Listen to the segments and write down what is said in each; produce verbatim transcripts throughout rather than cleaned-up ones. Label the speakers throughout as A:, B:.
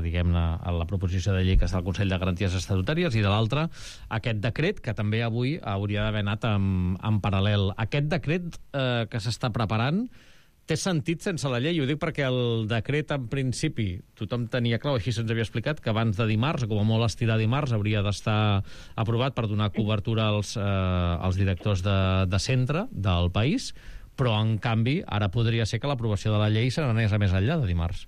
A: diguem-ne, a la proposició de llei que està al Consell de Garanties Estatutàries, i de l'altra, aquest decret, que també avui hauria d'haver anat en, en paral·lel. Aquest decret eh, que s'està preparant té sentit sense la llei? Ho dic perquè el decret, en principi, tothom tenia clar, així se'ns havia explicat, que abans de dimarts, o com a molt estirar dimarts, hauria d'estar aprovat per donar cobertura als, eh, als directors de, de centre del país, però, en canvi, ara podria ser que l'aprovació de la llei se n'anés a més enllà de dimarts.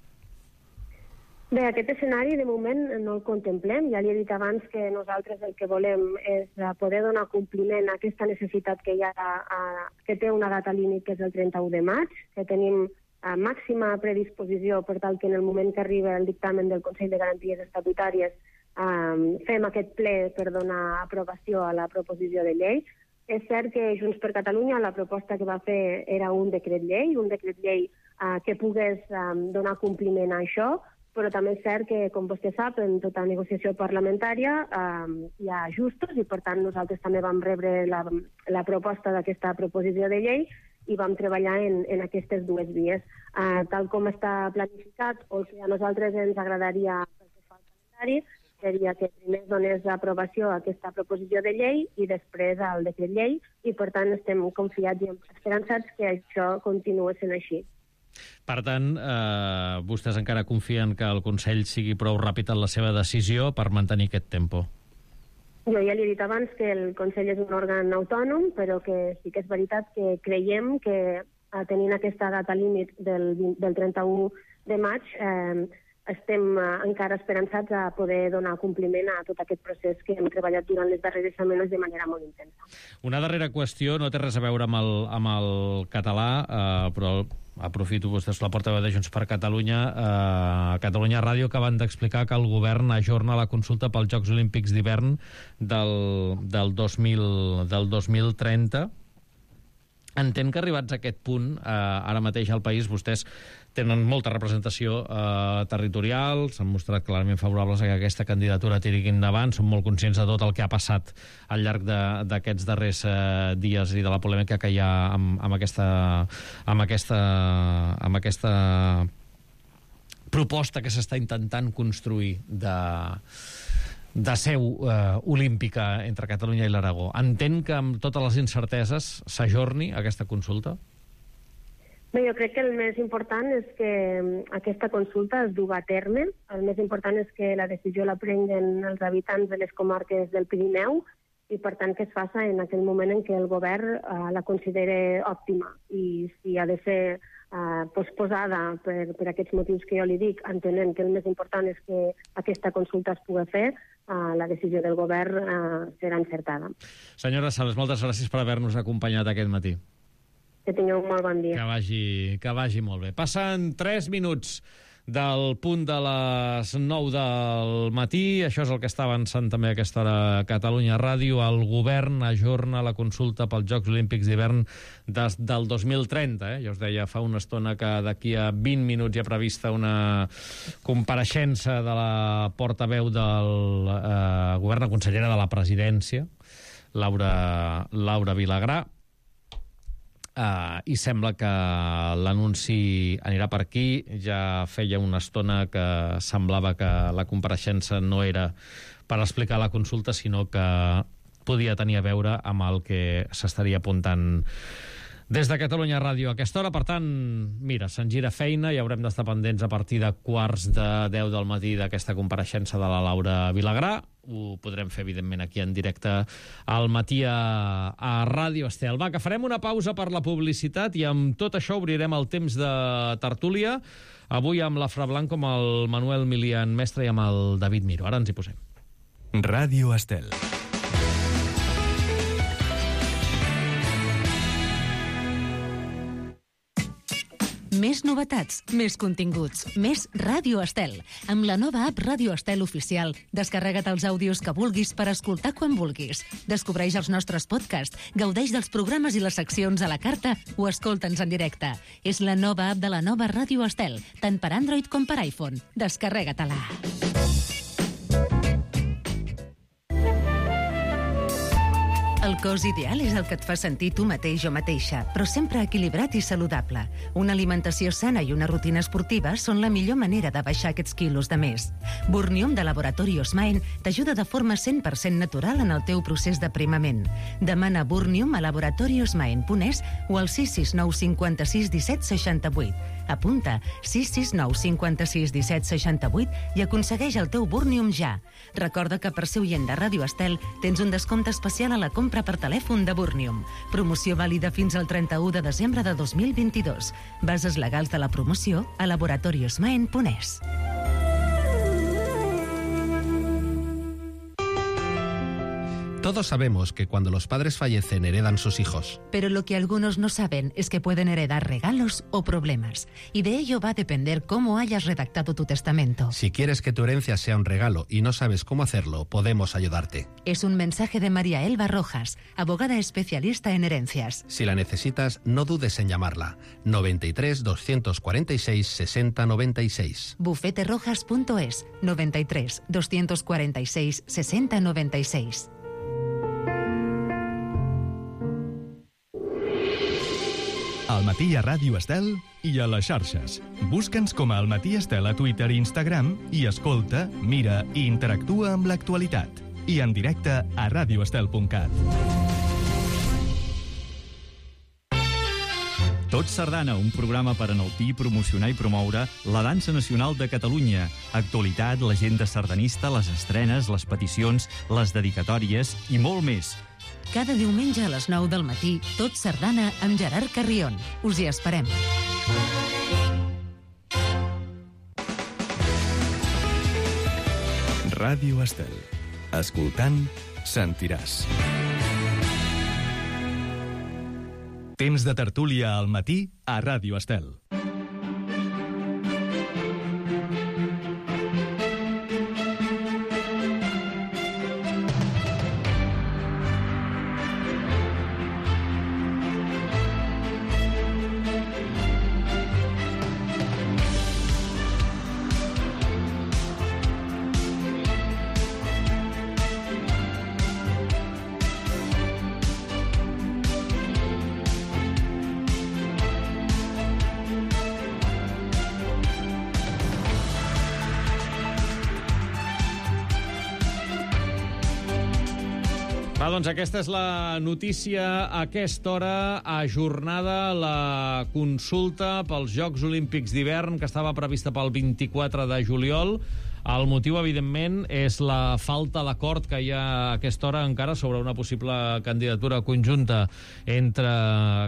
B: Bé, aquest escenari de moment no el contemplem. Ja li he dit abans que nosaltres el que volem és poder donar compliment a aquesta necessitat que hi ha, a, que té una data límit, que és el trenta-u de maig, que tenim a màxima predisposició per tal que en el moment que arriba el dictamen del Consell de Garanties Estatutàries um, fem aquest ple per donar aprovació a la proposició de llei. És cert que Junts per Catalunya la proposta que va fer era un decret llei, un decret llei uh, que pogués um, donar compliment a això, però també és cert que, com vostè sap, en tota negociació parlamentària eh, hi ha ajustos i, per tant, nosaltres també vam rebre la, la proposta d'aquesta proposició de llei i vam treballar en, en aquestes dues vies. Eh, tal com està planificat, o el que a nosaltres ens agradaria pel que fa al calendari, seria que primer donés aprovació a aquesta proposició de llei i després al decret llei, i, per tant, estem confiats i esperançats que això continuï sent així.
A: Per tant, eh, vostès encara confien que el Consell sigui prou ràpid en la seva decisió per mantenir aquest tempo?
B: Jo ja li he dit abans que el Consell és un òrgan autònom, però que sí que és veritat que creiem que, tenint aquesta data límit del, del trenta-u de maig, eh, estem eh, encara esperançats a poder donar compliment a tot aquest procés que hem treballat durant les darreres setmanes de manera molt intensa.
A: Una darrera qüestió, no té res a veure amb el, amb el català, eh, però aprofito, vostès la portaveu de Junts per Catalunya, eh, Catalunya Ràdio, que van d'explicar que el govern ajorna la consulta pels Jocs Olímpics d'hivern del, del, dos mil, del dos mil trenta. Entenc que arribats a aquest punt, eh, ara mateix al país, vostès tenen molta representació eh, territorial, s'han mostrat clarament favorables a que aquesta candidatura tiri endavant, són molt conscients de tot el que ha passat al llarg d'aquests darrers eh, dies i de la polèmica que hi ha amb, amb, aquesta, amb, aquesta, amb aquesta proposta que s'està intentant construir de... de seu eh, olímpica entre Catalunya i l'Aragó. Entenc que amb totes les incerteses s'ajorni aquesta consulta?
B: Bé, jo crec que el més important és que aquesta consulta es duga a terme. El més important és que la decisió la prenguen els habitants de les comarques del Pirineu i, per tant, que es faça en aquell moment en què el govern eh, la considere òptima. I si ha de ser eh, posposada per, per aquests motius que jo li dic, entenent que el més important és que aquesta consulta es pugui fer, Uh, la decisió del govern uh, serà encertada.
A: Senyora Sales, moltes gràcies per haver-nos acompanyat aquest matí.
B: Que tingueu un molt bon dia.
A: Que vagi, que vagi molt bé. Passen tres minuts del punt de les nou del matí. Això és el que està avançant també a aquesta hora a Catalunya Ràdio. El govern ajorna la consulta pels Jocs Olímpics d'hivern des del dos mil trenta. Eh? Jo us deia fa una estona que d'aquí a vint minuts hi ha prevista una compareixença de la portaveu del eh, govern, la consellera de la presidència, Laura, Laura Vilagrà. Uh, i sembla que l'anunci anirà per aquí. Ja feia una estona que semblava que la compareixença no era per explicar la consulta, sinó que podia tenir a veure amb el que s'estaria apuntant des de Catalunya Ràdio a aquesta hora. Per tant, mira, se'n gira feina i haurem d'estar pendents a partir de quarts de deu del matí d'aquesta compareixença de la Laura Vilagrà. Ho podrem fer, evidentment, aquí en directe al matí a, a Ràdio Estel. Va, que farem una pausa per la publicitat i amb tot això obrirem el temps de tertúlia. Avui amb la Fra Blanco, amb el Manuel Milian Mestre i amb el David Miro. Ara ens hi posem.
C: Ràdio Estel.
D: Més novetats, més continguts, més Ràdio Estel. Amb la nova app Ràdio Estel Oficial, descarrega't els àudios que vulguis per escoltar quan vulguis. Descobreix els nostres podcasts, gaudeix dels programes i les seccions a la carta o escolta'ns en directe. És la nova app de la nova Ràdio Estel, tant per Android com per iPhone. Descarrega-te-la. El cos ideal és el que et fa sentir tu mateix o mateixa, però sempre equilibrat i saludable. Una alimentació sana i una rutina esportiva són la millor manera de baixar aquests quilos de més. Burnium de Laboratori Osmaen t'ajuda de forma cent per cent natural en el teu procés d'aprimament. Demana Burnium a laboratori osmaen punt es o al sis sis nou cinquanta-sis disset seixanta-vuit. Apunta sis sis nou cinquanta-sis disset seixanta-vuit i aconsegueix el teu Burnium ja. Recorda que per ser oient de Ràdio Estel tens un descompte especial a la compra per telèfon de Burnium. Promoció vàlida fins al trenta-u de desembre de dos mil vint-i-dos. Bases legals de la promoció a laboratori osmaen punt es.
E: Todos sabemos que cuando los padres fallecen heredan sus hijos.
D: Pero lo que algunos no saben es que pueden heredar regalos o problemas. Y de ello va a depender cómo hayas redactado tu testamento.
E: Si quieres que tu herencia sea un regalo y no sabes cómo hacerlo, podemos ayudarte.
D: Es un mensaje de María Elba Rojas, abogada especialista en herencias.
E: Si la necesitas, no dudes en llamarla. noventa y tres, doscientos cuarenta y seis, sesenta noventa y seis.
D: bufete rojas punto es, noventa y tres, doscientos cuarenta y seis, sesenta noventa y seis.
C: Al matí a Ràdio Estel i a les xarxes. Busca'ns com a Al Matí Estel a Twitter i Instagram i escolta, mira i interactua amb l'actualitat. I en directe a radio estel punt cat.
F: Tot Sardana, un programa per enaltir, promocionar i promoure la dansa nacional de Catalunya. Actualitat, l'agenda sardanista, les estrenes, les peticions, les dedicatòries i molt més.
D: Cada diumenge a les nou del matí, Tot Sardana amb Gerard Carrion. Us hi esperem.
C: Ràdio Estel. Escoltant, sentiràs. Temps de tertúlia al matí a Ràdio Estel.
A: Va, doncs aquesta és la notícia a aquesta hora, ajornada la consulta pels Jocs Olímpics d'hivern que estava prevista pel vint-i-quatre de juliol. El motiu, evidentment, és la falta d'acord que hi ha a aquesta hora encara sobre una possible candidatura conjunta entre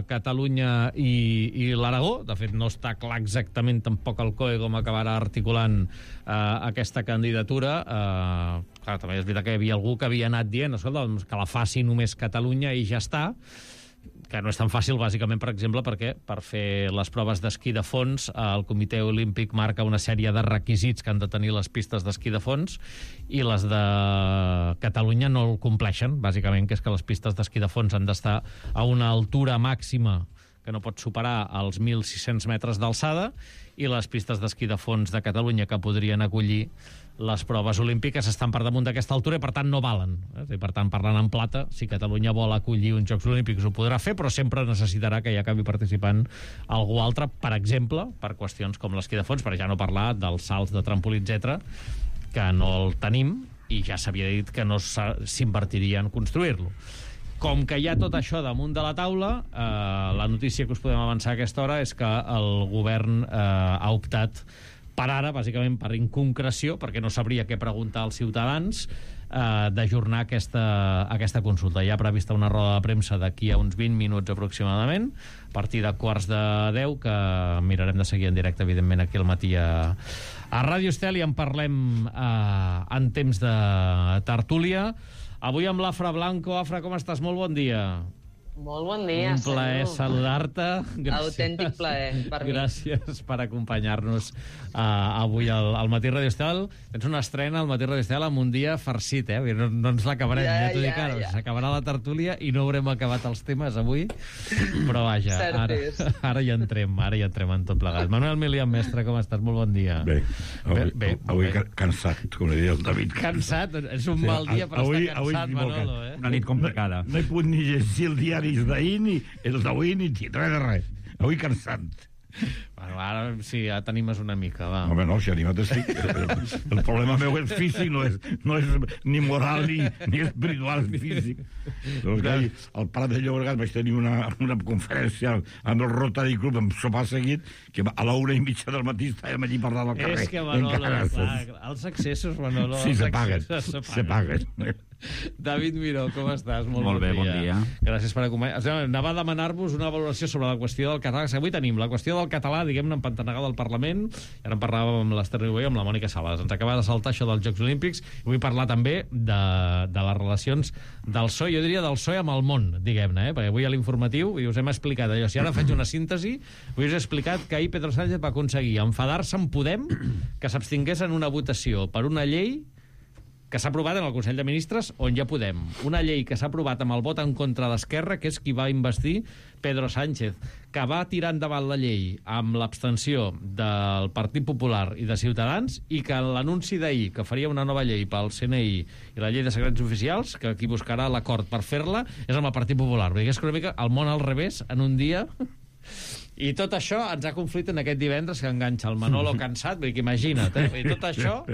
A: Catalunya i, i l'Aragó. De fet, no està clar exactament tampoc el C O E com acabarà articulant eh, aquesta candidatura. Eh, clar, també és veritat que hi havia algú que havia anat dient, escolta, doncs, que la faci només Catalunya i ja està, que no és tan fàcil, bàsicament, per exemple, perquè per fer les proves d'esquí de fons el Comitè Olímpic marca una sèrie de requisits que han de tenir les pistes d'esquí de fons i les de Catalunya no el compleixen, bàsicament, que és que les pistes d'esquí de fons han d'estar a una altura màxima que no pot superar els mil sis-cents metres d'alçada, i les pistes d'esquí de fons de Catalunya que podrien acollir les proves olímpiques estan per damunt d'aquesta altura i, per tant, no valen. I, per tant, parlant en plata, si Catalunya vol acollir uns Jocs Olímpics ho podrà fer, però sempre necessitarà que hi acabi participant algú altre, per exemple, per qüestions com l'esquí de fons, per ja no parlar dels salts de trampolí, etcètera, que no el tenim i ja s'havia dit que no s'invertiria en construir-lo. Com que hi ha tot això damunt de la taula, eh, la notícia que us podem avançar a aquesta hora és que el govern eh, ha optat per ara, bàsicament per inconcreció, perquè no sabria què preguntar als ciutadans, eh, d'ajornar aquesta, aquesta consulta. Hi ha prevista una roda de premsa d'aquí a uns vint minuts aproximadament, a partir de quarts de deu, que mirarem de seguir en directe, evidentment, aquí al matí a, a Ràdio Estel, i en parlem eh, en temps de tertúlia. Avui amb l'Afra Blanco. Afra, com estàs? Molt bon dia.
G: Molt bon dia,
A: Un plaer
G: senyor.
A: saludar-te.
G: Autèntic plaer per mi.
A: Gràcies per acompanyar-nos uh, avui al, al Matí Radio Estel. Tens una estrena al Matí Radio Estel amb un dia farcit, eh? No, no ens l'acabarem, ja, ja t'ho dic ara. Ja. S'acabarà la tertúlia i no haurem acabat els temes avui, però vaja, ara, ara hi entrem, ara hi entrem en tot plegat. Manuel Milian, mestre, com estàs? Molt bon dia.
H: Bé, avui,
A: bé, bé,
H: avui
A: bé.
H: cansat, com diria el David.
A: Cansat? És un sí, mal dia per avui, estar cansat, Manolo, eh?
F: Una nit complicada.
H: No, no he pogut ni llegir el diari d'ahir, ni els d'avui, ni res de res. Avui cansat.
A: Bueno, ara sí, ja t'animes una mica, va.
H: Home, no, si animat estic. El problema meu és físic, no és, no és ni moral ni, ni espiritual, ni físic. Doncs que ahir, al Prat de Llobregat vaig tenir una, una conferència amb el Rotary Club, amb sopar seguit, que a l'una i mitja del matí estàvem allí parlant al carrer.
A: És que, Manolo, clar, els accessos, Manolo...
H: Sí, se paguen, se paguen.
A: David Miró, com estàs? Molt,
F: Molt bé, bon dia.
A: Gràcies per acompanyar. Anava a demanar-vos una valoració sobre la qüestió del català, que avui tenim la qüestió del català, diguem-ne, empantanegada al Parlament. I ara en parlàvem amb l'Ester Riubé i amb la Mònica Sales. Ens acaba de saltar això dels Jocs Olímpics i vull parlar també de, de les relacions del P S O E, jo diria del P S O E amb el món, diguem-ne, eh? Perquè avui a l'informatiu us hem explicat allò. Si ara faig una síntesi, us he explicat que ahir Pedro Sánchez va aconseguir enfadar-se amb Podem, que s'abstingués en una votació per una llei que s'ha aprovat en el Consell de Ministres, on ja Podem. Una llei que s'ha aprovat amb el vot en contra d'Esquerra, que és qui va investir Pedro Sánchez, que va tirar endavant la llei amb l'abstenció del Partit Popular i de Ciutadans, i que en l'anunci d'ahir, que faria una nova llei pel C N I i la llei de secrets oficials, que qui buscarà l'acord per fer-la és amb el Partit Popular. Perquè és que una mica el món al revés, en un dia... I tot això ens ha conflit en aquest divendres que enganxa el Manolo cansat, perquè imagina't, eh? I tot això...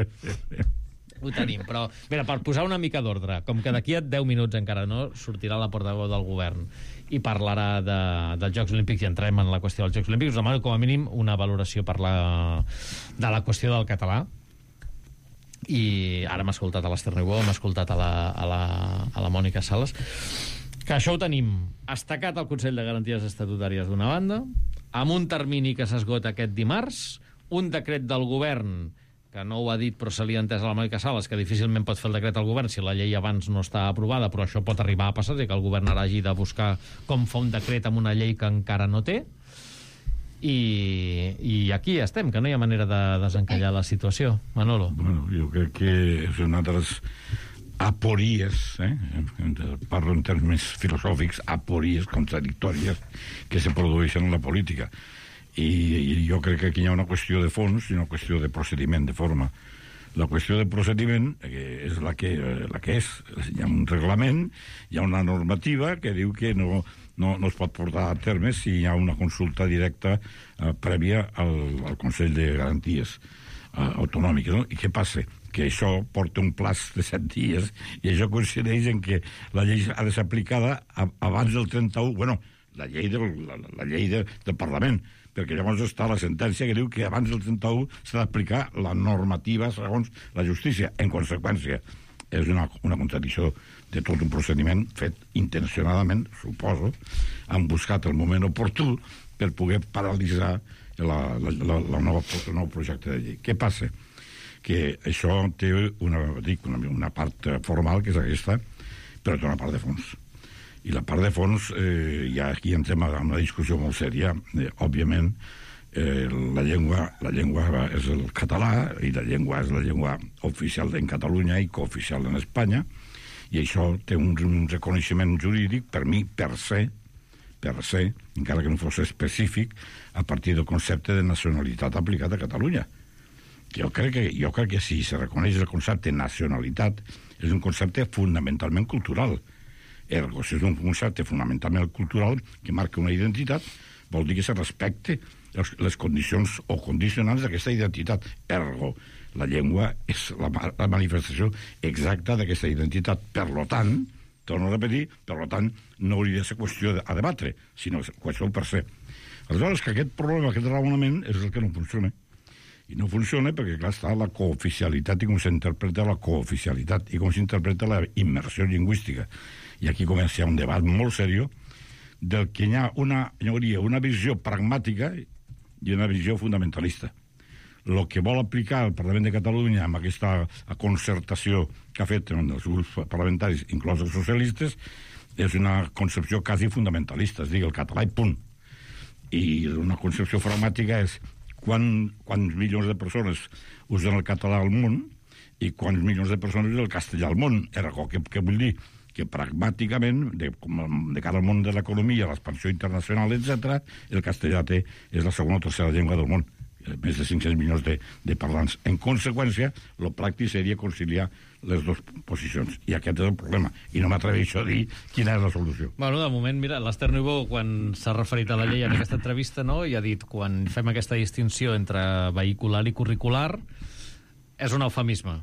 A: ho tenim, però mira, per posar una mica d'ordre, com que d'aquí a deu minuts encara no sortirà la portaveu del govern i parlarà de, dels Jocs Olímpics i entrem en la qüestió dels Jocs Olímpics, us demano com a mínim una valoració per la, de la qüestió del català. I ara m'ha escoltat a l'Ester Riubó, m'ha escoltat a la, a, la, a la Mònica Sales, que això ho tenim estacat al Consell de Garanties Estatutàries d'una banda, amb un termini que s'esgota aquest dimarts, un decret del govern que no ho ha dit però se li ha entès a la Mònica Sales, que difícilment pot fer el decret al govern si la llei abans no està aprovada, però això pot arribar a passar, que el govern ara hagi de buscar com fa un decret amb una llei que encara no té, i, i aquí estem, que no hi ha manera de desencallar la situació. Manolo.
H: Bueno, jo crec que és una de les apories, eh? Parlo en termes més filosòfics, apories contradictòries que se produeixen en la política. I, i jo crec que aquí hi ha una qüestió de fons i una qüestió de procediment, de forma. La qüestió de procediment eh, és la que, la que és. Hi ha un reglament, hi ha una normativa que diu que no, no, no es pot portar a terme si hi ha una consulta directa eh, prèvia al, al Consell de Garanties eh, Autonòmiques. No? I què passa? Que això porta un plaç de set dies i això coincideix en que la llei ha de ser aplicada a, abans del trenta-u, bueno, la llei del, la, la llei de, del Parlament, perquè llavors està la sentència que diu que abans del trenta-u s'ha d'aplicar la normativa segons la justícia. En conseqüència, és una, una contradicció de tot un procediment fet intencionadament, suposo, han buscat el moment oportú per poder paralitzar la, la, la, la nova, el nou projecte de llei. Què passa? Que això té una, dic, una, una part formal, que és aquesta, però té una part de fons. I la part de fons, eh, ja aquí entrem a una discussió molt sèria. Eh, òbviament, eh, la llengua la llengua és el català, i la llengua és la llengua oficial en Catalunya i cooficial en Espanya, i això té un, un reconeixement jurídic, per mi, per se, per se, encara que no fos específic, a partir del concepte de nacionalitat aplicat a Catalunya. Jo crec que, jo crec que si se reconeix el concepte de nacionalitat, és un concepte fonamentalment cultural. Ergo, si és un concepte fonamentalment cultural que marca una identitat, vol dir que se respecte les, les condicions o condicionants d'aquesta identitat. Ergo, la llengua és la, la manifestació exacta d'aquesta identitat. Per lo tant, torno a repetir, per lo tant, no hauria de ser qüestió a debatre, sinó qüestió per ser. Aleshores, que aquest problema, aquest raonament, és el que no funciona. I no funciona perquè, clar, està la cooficialitat i com s'interpreta la cooficialitat i com s'interpreta la immersió lingüística. I aquí comença un debat molt seriós del que hi ha una, hi hauria una visió pragmàtica i una visió fundamentalista. El que vol aplicar el Parlament de Catalunya amb aquesta concertació que ha fet en els grups parlamentaris, inclòs els socialistes, és una concepció quasi fundamentalista, es digui el català i punt. I una concepció pragmàtica és quan, quants milions de persones usen el català al món i quants milions de persones usen el castellà al món. Ergo, què, què vull dir? Que pragmàticament, de, de cara al món de l'economia, l'expansió internacional, etcètera, el castellà té, és la segona o tercera llengua del món. Més de cinc-cents milions de, de parlants. En conseqüència, el pràctic seria conciliar les dues posicions. I aquest és el problema. I no m'atreveixo a dir quina és la solució.
A: Bueno, de moment, mira, l'Ester Niubó, quan s'ha referit a la llei en aquesta entrevista, no, i ha dit, quan fem aquesta distinció entre vehicular i curricular, és un eufemisme.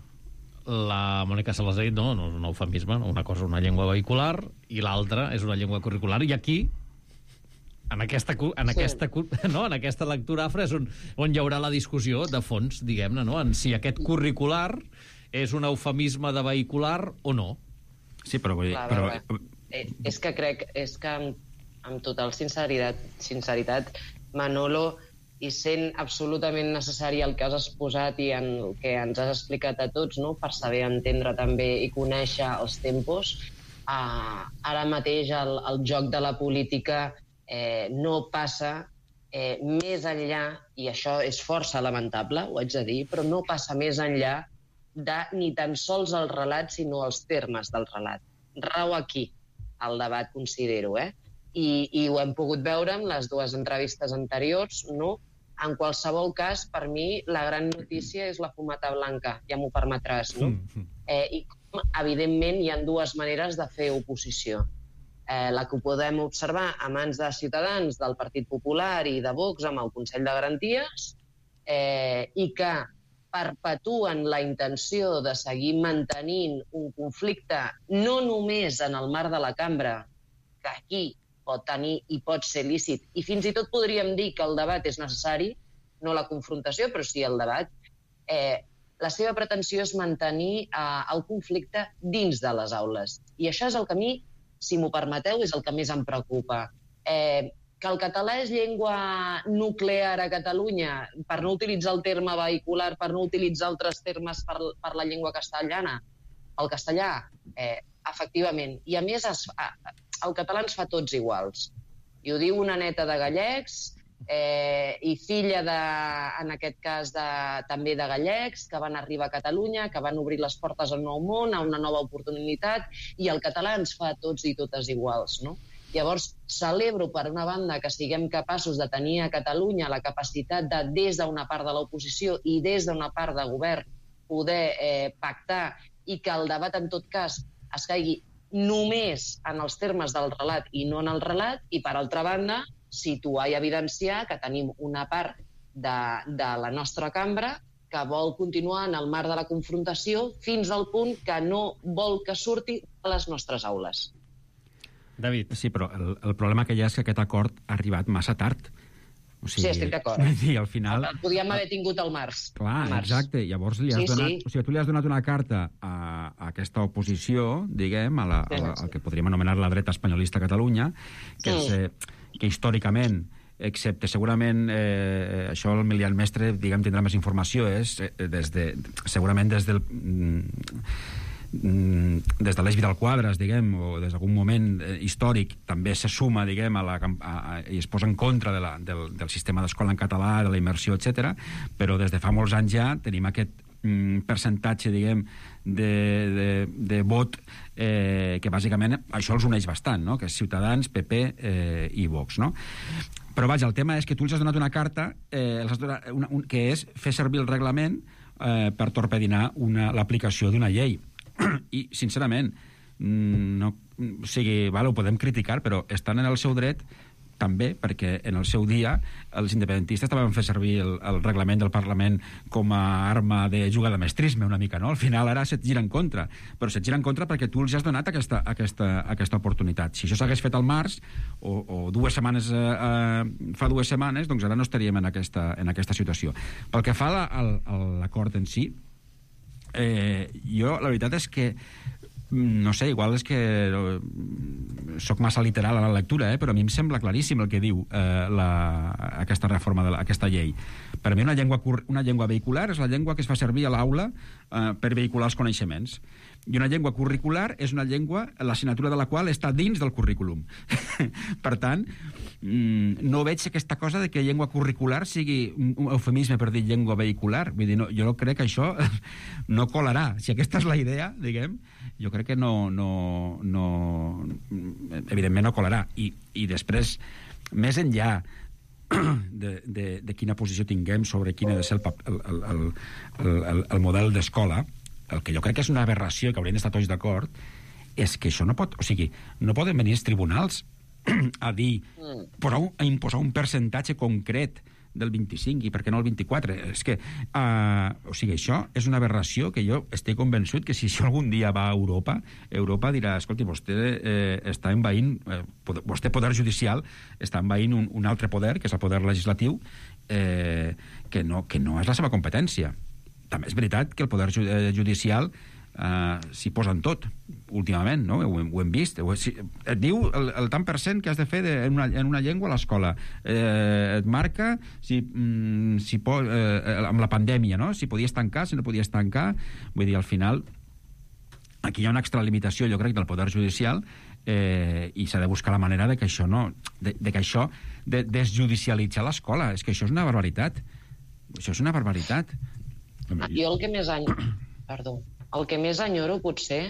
A: La Mònica Sales ha dit, no, no és un eufemisme, una cosa és una llengua vehicular i l'altra és una llengua curricular. I aquí, en aquesta, en sí. aquesta, no, en aquesta lectura afra és on, on hi haurà la discussió de fons, diguem-ne, no? En si aquest curricular és un eufemisme de vehicular o no.
F: Sí, però... Vull dir,
G: Clar,
F: però...
G: però... Eh, és que crec, és que amb, amb total sinceritat, sinceritat, Manolo, i sent absolutament necessari el que has exposat i en el que ens has explicat a tots, no?, per saber entendre també i conèixer els tempos, eh, ara mateix el, el joc de la política eh, no passa eh, més enllà, i això és força lamentable, ho haig de dir, però no passa més enllà de ni tan sols el relat, sinó els termes del relat. Rau aquí el debat, considero, eh? I, i ho hem pogut veure en les dues entrevistes anteriors, no? En qualsevol cas, per mi, la gran notícia és la fumata blanca, ja m'ho permetràs, no? Eh, I, evidentment, hi ha dues maneres de fer oposició. Eh, la que podem observar a mans de Ciutadans, del Partit Popular i de Vox amb el Consell de Garanties, eh, i que perpetuen la intenció de seguir mantenint un conflicte no només en el marc de la cambra, que aquí pot tenir i pot ser lícit, i fins i tot podríem dir que el debat és necessari, no la confrontació, però sí el debat. Eh, la seva pretensió és mantenir eh, el conflicte dins de les aules. I això és el que a mi, si m'ho permeteu, és el que més em preocupa. Eh, que el català és llengua nuclear a Catalunya, per no utilitzar el terme vehicular, per no utilitzar altres termes per, per la llengua castellana, el castellà, eh, efectivament. I a més, es, el català ens fa tots iguals. I ho diu una neta de gallecs, eh, i filla, de, en aquest cas, de, també de gallecs, que van arribar a Catalunya, que van obrir les portes al nou món, a una nova oportunitat, i el català ens fa tots i totes iguals, no? Llavors, celebro, per una banda, que siguem capaços de tenir a Catalunya la capacitat de, des d'una part de l'oposició i des d'una part de govern, poder eh, pactar i que el debat, en tot cas, es caigui només en els termes del relat i no en el relat, i, per altra banda, situar i evidenciar que tenim una part de, de la nostra cambra que vol continuar en el marc de la confrontació fins al punt que no vol que surti a les nostres aules.
A: David.
F: Sí, però el, el problema que hi ha és que aquest acord ha arribat massa tard. O sigui,
G: sí, estic d'acord.
F: Sí, al final...
G: El podíem haver tingut al març.
F: Clar,
G: març.
F: Exacte. Llavors li has
G: sí,
F: donat...
G: Sí.
F: O sigui, tu li has donat una carta a, a aquesta oposició, diguem, a la, a la, al que podríem anomenar la dreta espanyolista a Catalunya, que, és, eh, que històricament, excepte segurament, eh, això el Milian Mestre, diguem, tindrà més informació, és eh, des de, segurament des del... Mm, des de l'Eix Vidal Quadras, diguem, o des d'algun moment eh, històric, també se suma, diguem, a la, a, a, i es posa en contra de la, del, del sistema d'escola en català, de la immersió, etcètera. Però des de fa molts anys ja tenim aquest mm, percentatge, diguem, de, de, de vot eh, que bàsicament això els uneix bastant, no? Que és Ciutadans, P P eh, i Vox, no? Però vaja, el tema és que tu els has donat una carta eh, els has donat una, un, que és fer servir el reglament eh, per torpedinar l'aplicació d'una llei. I, sincerament, no, o sigui, vale, ho podem criticar, però estan en el seu dret també, perquè en el seu dia els independentistes també van fer servir el, el reglament del Parlament com a arma de jugar de mestrisme una mica, no? Al final ara se't gira en contra, però se't gira en contra perquè tu els has donat aquesta, aquesta, aquesta oportunitat. Si això s'hagués fet al març o, o dues setmanes eh, eh, fa dues setmanes, doncs ara no estaríem en aquesta, en aquesta situació. Pel que fa a l'acord en si, Eh, jo la veritat és que no sé, igual és que soc massa literal a la lectura, eh, però a mi em sembla claríssim el que diu eh, la, aquesta reforma de la, aquesta llei. Per a mi una llengua, una llengua vehicular és la llengua que es fa servir a l'aula eh, per vehicular els coneixements. I una llengua curricular és una llengua, l'assignatura de la qual està dins del currículum. Per tant, no veig aquesta cosa de que llengua curricular sigui un eufemisme per dir llengua vehicular. Vull dir, no, jo no crec que això no colarà. Si aquesta és la idea, diguem, jo crec que no, no, no evidentment no colarà. I, i després, més enllà de, de, de quina posició tinguem sobre quin ha de ser el, el, el, el, el model d'escola, el que jo crec que és una aberració, que haurien d'estar tots d'acord, és que això no pot... O sigui, no poden venir els tribunals a dir, posar, a imposar un percentatge concret del vint-i-cinc i per què no el vint-i-quatre. És que, uh, o sigui, això és una aberració que jo estic convençut que si això algun dia va a Europa, Europa dirà, escolti, vostè eh, està envaint, eh, poder, vostè poder judicial està envaint un, un altre poder, que és el poder legislatiu, eh, que, no, que no és la seva competència. També és veritat que el poder judicial uh, s'hi posa en tot, últimament, no? Ho, ho hem vist. Ho, si, et diu el, el tant per cent que has de fer de, en, una, en una llengua a l'escola. Eh, et marca si, mm, si po, eh, amb la pandèmia, no? Si podies tancar, si no podies tancar. Vull dir, al final, aquí hi ha una extralimitació, jo crec, del poder judicial, eh, i s'ha de buscar la manera de que això no... de, de que això... de desjudicialitzar l'escola. És que això és una barbaritat. Això és una barbaritat.
G: Jo el que més enyoro, perdó, el que més enyoro potser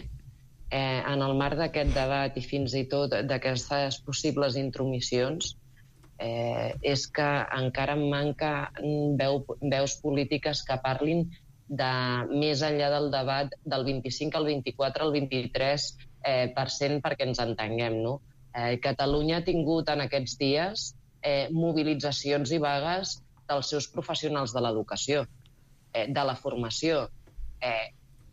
G: eh, en el marc d'aquest debat i fins i tot d'aquestes possibles intromissions eh, és que encara em manca veu, veus polítiques que parlin de més enllà del debat del vint-i-cinc al vint-i-quatre al vint-i-tres eh, per cent perquè ens entenguem, no? Eh, Catalunya ha tingut en aquests dies eh, mobilitzacions i vagues dels seus professionals de l'educació, de la formació. Eh,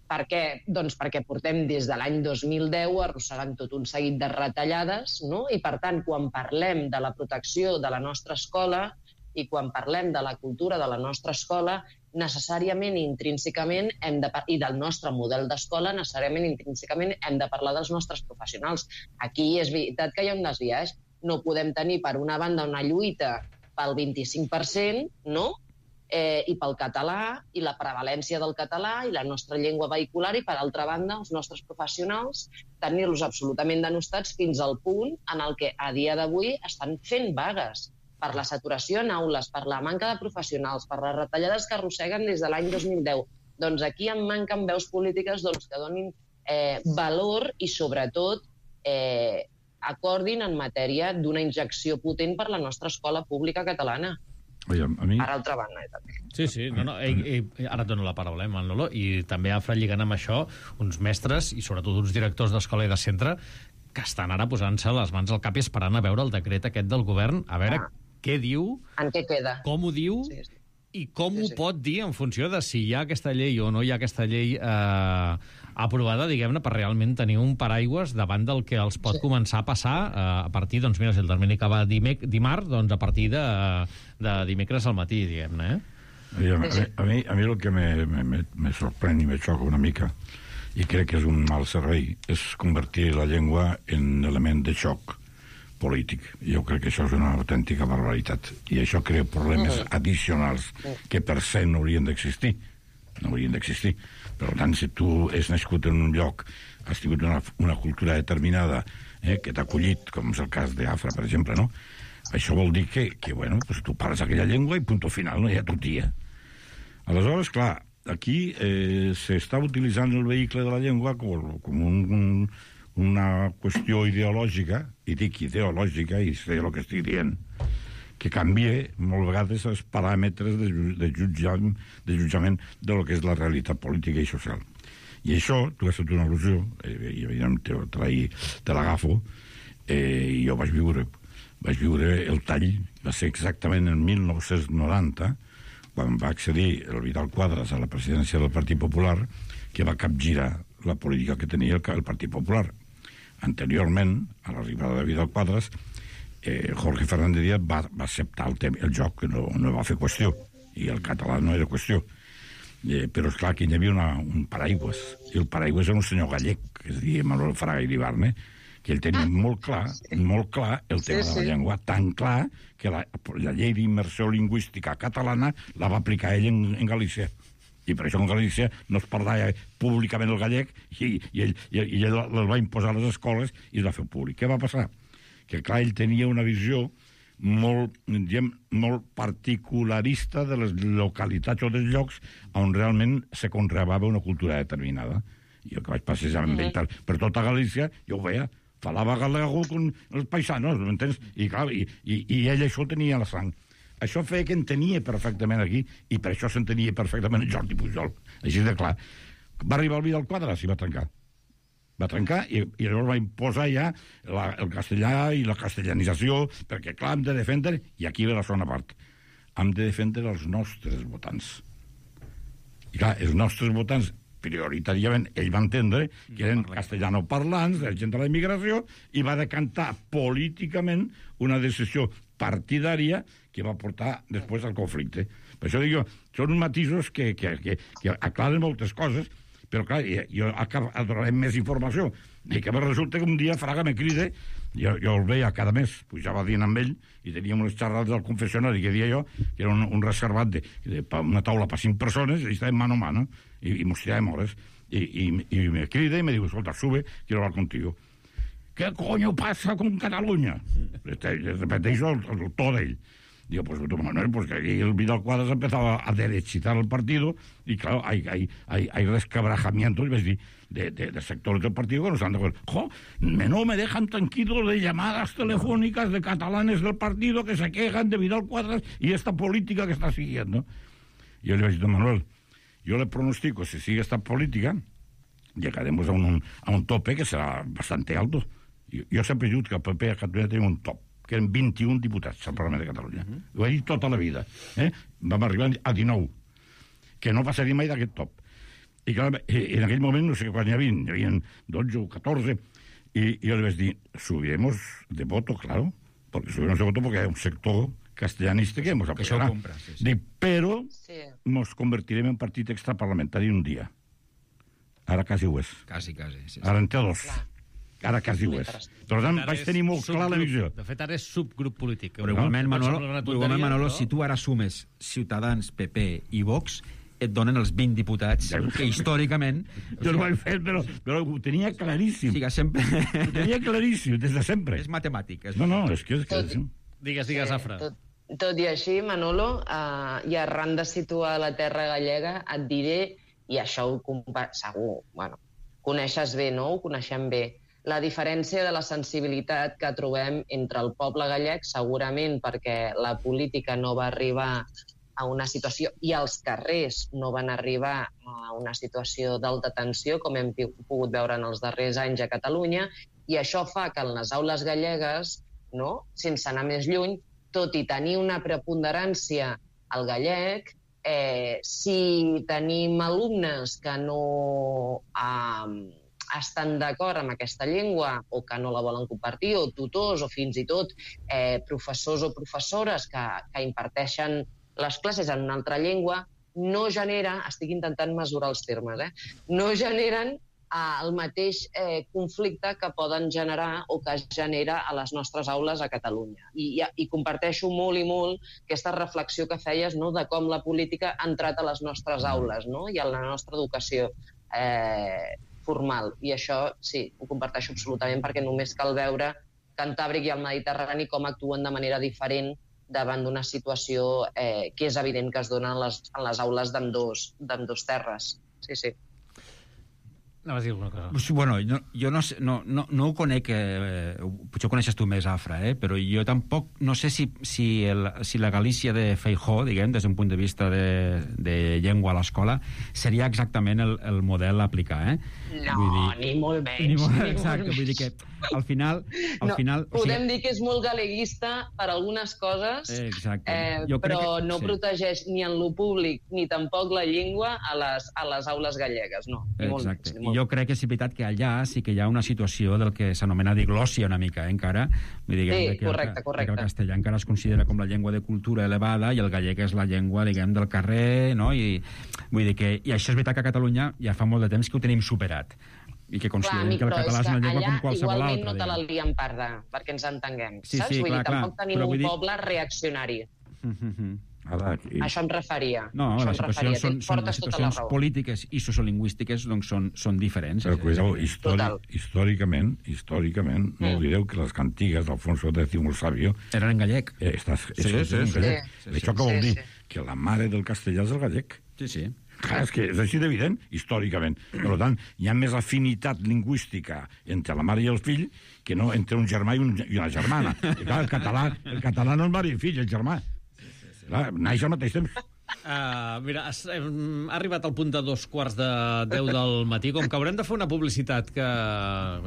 G: per què? Doncs perquè portem des de l'any dos mil deu arrossegant tot un seguit de retallades, no? I per tant, quan parlem de la protecció de la nostra escola i quan parlem de la cultura de la nostra escola, necessàriament i intrínsecament hem de, i del nostre model d'escola, necessàriament i intrínsecament hem de parlar dels nostres professionals. Aquí és veritat que hi ha un desviatge. No podem tenir, per una banda, una lluita pel vint-i-cinc per cent, no?, Eh, i pel català, i la prevalència del català, i la nostra llengua vehicular, i per altra banda, els nostres professionals tenir-los absolutament denostats fins al punt en el que a dia d'avui estan fent vagues per la saturació en aules, per la manca de professionals, per les retallades que arrosseguen des de l'any dos mil deu. Doncs aquí em manquen veus polítiques doncs, que donin eh, valor i, sobretot, eh, acordin en matèria d'una injecció potent per la nostra escola pública catalana.
H: Oye, a mi...
G: Per altra banda, eh, també.
A: Sí, sí, no, no, ei, ei, ara et dono la paraula, eh, Manolo, i també Afra, lligant amb això, uns mestres i sobretot uns directors d'escola i de centre que estan ara posant-se les mans al cap i esperant a veure el decret aquest del govern, a veure ah. què diu,
G: en què queda,
A: com ho diu, sí, sí. i com sí, sí. ho pot dir en funció de si hi ha aquesta llei o no hi ha aquesta llei eh, aprovada, diguem-ne, per realment tenir un paraigües davant del que els pot sí. començar a passar eh, a partir, doncs mira, si el termini acaba dimec, dimarts, doncs a partir de, de dimecres al matí, diguem-ne, eh?
H: A mi, a, mi, a mi el que me, me, me sorprèn i me xoca una mica, i crec que és un mal servei, és convertir la llengua en element de xoc polític. Jo crec que això és una autèntica barbaritat. I això crea problemes uh-huh. addicionals que per se no haurien d'existir. No haurien d'existir. Per tant, si tu has nascut en un lloc, has tingut una, una cultura determinada eh, que t'ha acollit, com és el cas d'Afra, per exemple, no? Això vol dir que, que bueno, pues tu parles aquella llengua i punto final, no hi ha tutia. Aleshores, clar, aquí eh, s'està utilitzant el vehicle de la llengua com, com un... un una qüestió ideològica, i dic ideològica, i sé el que estic dient, que canvia molt vegades els paràmetres de, de, jutjament, de jutjament de lo que és la realitat política i social. I això, tu has fet una al·lusió, i evidentment te, te, te l'agafo, eh, i jo vaig viure, vaig viure el tall, va ser exactament en mil nou-cents noranta, quan va accedir el Vidal Quadras a la presidència del Partit Popular, que va capgirar la política que tenia el, el Partit Popular. Anteriorment, a l'arribada de Vidal Quadras, eh, Jorge Fernández Díaz va, va acceptar el, tema, el joc, que no, no va fer qüestió, i el català no era qüestió. Eh, però, esclar, aquí hi havia una, un paraigües, i el paraigües era un senyor gallec, que es deia Manuel Fraga i Ibarne, que ell tenia molt clar, molt clar el tema sí, sí. de la llengua, tan clar que la, la llei d'immersió lingüística catalana la va aplicar ell en, en Galícia. I per això en Galícia no es parlava públicament el gallec i, i ell, i, i ell el va imposar a les escoles i es va fer públic. Què va passar? Que, clar, ell tenia una visió molt, diguem, molt particularista de les localitats o dels llocs on realment se conreava una cultura determinada. I jo que vaig passejar amb ell per tota Galícia, jo ho veia, falava galego con els paisanos, m'entens? I, clar, i, i, i ell això tenia a la sang. Això feia que entenia perfectament aquí, i per això s'entenia perfectament Jordi Pujol. Així de clar. Va arribar el Vidal Quadras i va trencar. Va trencar i, i llavors va imposar ja la, el castellà i la castellanització, perquè, clar, hem de defendre, i aquí ve la segona part, hem de defendre els nostres votants. I, clar, els nostres votants prioritàriament ell va entendre que eren castellanoparlants, gent de la immigració, i va decantar políticament una decisió partidària que va portar després al conflicte. Per això dic jo, són matisos que, que, que, que aclaren moltes coses, però clar, jo donarem més informació. I que resulta que un dia Fraga me crida, jo, jo el veia cada mes, pujava dient amb ell, i teníem unes xerrades del confessionari que dia jo, que era un, un reservat de, de una taula per cinc persones, i estàvem mano a mano, i, i mos tiràvem hores, i, i, i me crida i me diu, escolta, sube, quiero hablar contigo. ¿Qué coño pasa con Cataluña? Le repeteixo el, el to d'ell. Digo, pues Manuel, pues que ahí el Vidal Quadras empezaba a derechitar el partido y claro, hay, hay, hay, hay resquebrajamientos de, de, de, de sectores del partido que no están de acuerdo. Jo, me, no me dejan tranquilo de llamadas telefónicas de catalanes del partido que se quejan de Vidal Quadras y esta política que está siguiendo. Y yo le digo, Manuel, yo le pronostico, si sigue esta política, llegaremos a un, a un tope que será bastante alto. Yo, yo sempre he dit que el P P a Catalunya tenia un top, que eren vint-i-un diputats al Parlament de Catalunya. Uh -huh. Ho he dit tota la vida. Eh? Vam arribar a dinou, que no passaria mai d'aquest top. I clar, en aquell moment, no sé quan hi havia, hi havia dotze o catorze, i, i jo li vaig dir, subiremos de voto, claro, porque subiremos de voto porque hay un sector castellanista que ens apoyarà. Sí, sí. Dic, però sí. Nos convertirem en partit extraparlamentari un dia. Ara quasi ho és.
F: Quasi, quasi. Sí, sí.
H: Ara en té dos. Clar. Ara quasi ho és. Per tant, vaig tenir molt clar la visió.
A: De fet, ara és subgrup polític.
F: Però igualment, Manolo, igualment, Manolo, si tu ara sumes Ciutadans, P P i Vox, et donen els vint diputats que històricament...
H: Jo no ho he fet, però, però ho tenia claríssim.
F: Sí, sempre...
H: Ho tenia claríssim, des de sempre.
F: És matemàtic. És
H: no, no, és que... És que...
G: Tot,
A: digues, digues, Afra.
G: Tot, tot i així, Manolo, uh, i arran de situar la terra gallega, et diré, i això ho compa... segur, bueno, coneixes bé, no? Ho coneixem bé. La diferència de la sensibilitat que trobem entre el poble gallec, segurament perquè la política no va arribar a una situació, i els carrers no van arribar a una situació d'alta tensió, com hem pogut veure en els darrers anys a Catalunya, i això fa que en les aules gallegues, no, sense anar més lluny, tot i tenir una preponderància al gallec, eh, si tenim alumnes que no... Eh, estan d'acord amb aquesta llengua o que no la volen compartir, o tutors o fins i tot eh, professors o professores que, que imparteixen les classes en una altra llengua, no genera, estic intentant mesurar els termes, eh, no generen eh, el mateix eh, conflicte que poden generar o que es genera a les nostres aules a Catalunya. I, i, i comparteixo molt i molt aquesta reflexió que feies, no?, de com la política ha entrat a les nostres aules, no?, i a la nostra educació eh, formal, i això sí, ho comparteixo absolutament, perquè només cal veure Cantàbric i el Mediterrani com actuen de manera diferent davant d'una situació eh, que és evident que es dona en les, en les aules d'ambdós d'ambdós terres. Sí, sí.
A: Anaves a dir alguna cosa.
F: Bueno, no, jo no, no, no, no ho conec, eh, potser ho coneixes tu més, Afra, eh, però jo tampoc no sé si, si, el, si la Galícia de Feijóo, diguem, des d'un punt de vista de, de llengua a l'escola, seria exactament el, el model a aplicar, eh?
G: No, vull dir, ni molt menys.
F: Ni molt,
G: ni
F: exacte,
G: molt
F: vull dir que al final... Al
G: no,
F: final
G: podem
F: o sigui...
G: dir que és molt galeguista per algunes coses,
F: exacte.
G: eh,
F: jo
G: però
F: que,
G: no
F: sí.
G: protegeix ni en lo públic ni tampoc la llengua a les, a les aules gallegues, no. Ni molt
F: exacte.
G: Menys, ni molt.
F: Jo crec que és veritat que allà sí que hi ha una situació del que s'anomena diglòssia una mica, eh, encara. Vull dir,
G: sí,
F: que
G: correcte,
F: el,
G: correcte.
F: Que el castellà encara es considera com la llengua de cultura elevada i el gallec és la llengua, diguem, del carrer, no? I, vull dir que, i això és veritat que a Catalunya ja fa molt de temps que ho tenim superat i que considerem
G: clar,
F: que el català és una llengua com qualsevol altra.
G: Igualment no te la lien parda, perquè ens entenguem,
F: sí,
G: saps?
F: sí,
G: vull
F: clar,
G: dir, tampoc
F: clar.
G: tenim un
F: dir...
G: poble reaccionari.
F: Mm -hmm.
H: Ara, i...
G: Això em referia.
F: No,
G: Això
F: les
G: em
F: situacions,
G: referia.
F: són, són, les
G: Portes tota la
F: situacions
G: raó.
F: polítiques i sociolingüístiques doncs, són, són diferents.
H: Però, cuidao,
G: Total.
H: històric, històricament, històricament, no
G: Mm.
H: oblideu que les cantigues d'Alfonso X el Sabio
F: Eren en gallec.
H: eh, estàs,
F: Sí,
H: és,
F: sí,
H: en
F: sí.
H: gallec.
G: Sí,
H: Això
G: sí,
H: què vol
G: sí,
H: dir?
G: sí.
H: Que la mare del castellà és el gallec.
F: Sí, sí.
H: Clar, és que és així d'evident, històricament. Per tant, hi ha més afinitat lingüística entre la mare i el fill que no entre un germà i, un, i una germana. I clar, el català, el català no és mare i fill, el germà. Clar, naix al mateix temps.
A: Uh, mira, has, hem, ha arribat al punt de dos quarts de deu del matí, com que haurem de fer una publicitat que...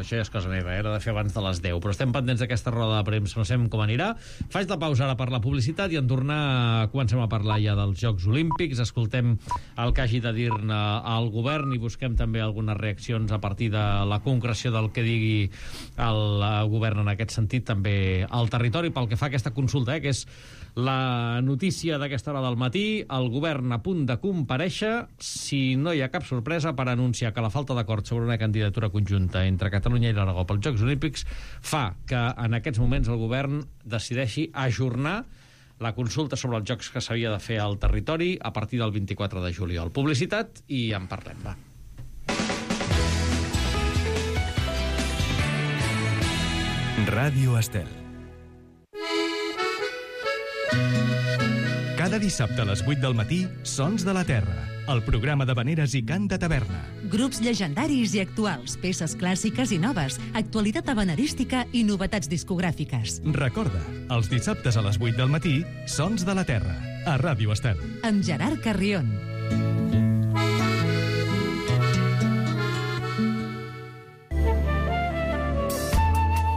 A: Això ja és cosa meva, era de fer abans de les deu, però estem pendents d'aquesta roda de premsa, no sabem com anirà. Faig la pausa ara per la publicitat i en tornar comencem a parlar ja dels Jocs Olímpics, escoltem el que hagi de dir-ne al govern i busquem també algunes reaccions a partir de la concreció del que digui el govern en aquest sentit, també al territori, pel que fa a aquesta consulta, eh, que és la notícia d'aquesta hora del matí. El govern a punt de comparèixer, si no hi ha cap sorpresa, per anunciar que la falta d'acord sobre una candidatura conjunta entre Catalunya i l'Aragó pels Jocs Olímpics fa que en aquests moments el govern decideixi ajornar la consulta sobre els jocs que s'havia de fer al territori a partir del vint-i-quatre de juliol. Publicitat i en parlem, va.
C: Ràdio Estel. Cada dissabte a les vuit del matí, Sons de la Terra, el programa de veneres i cant de taverna.
D: Grups llegendaris i actuals, peces clàssiques i noves, actualitat habanerística i novetats discogràfiques.
C: Recorda, els dissabtes a les vuit del matí, Sons de la Terra, a Ràdio Estel.
D: Amb Gerard Carrion.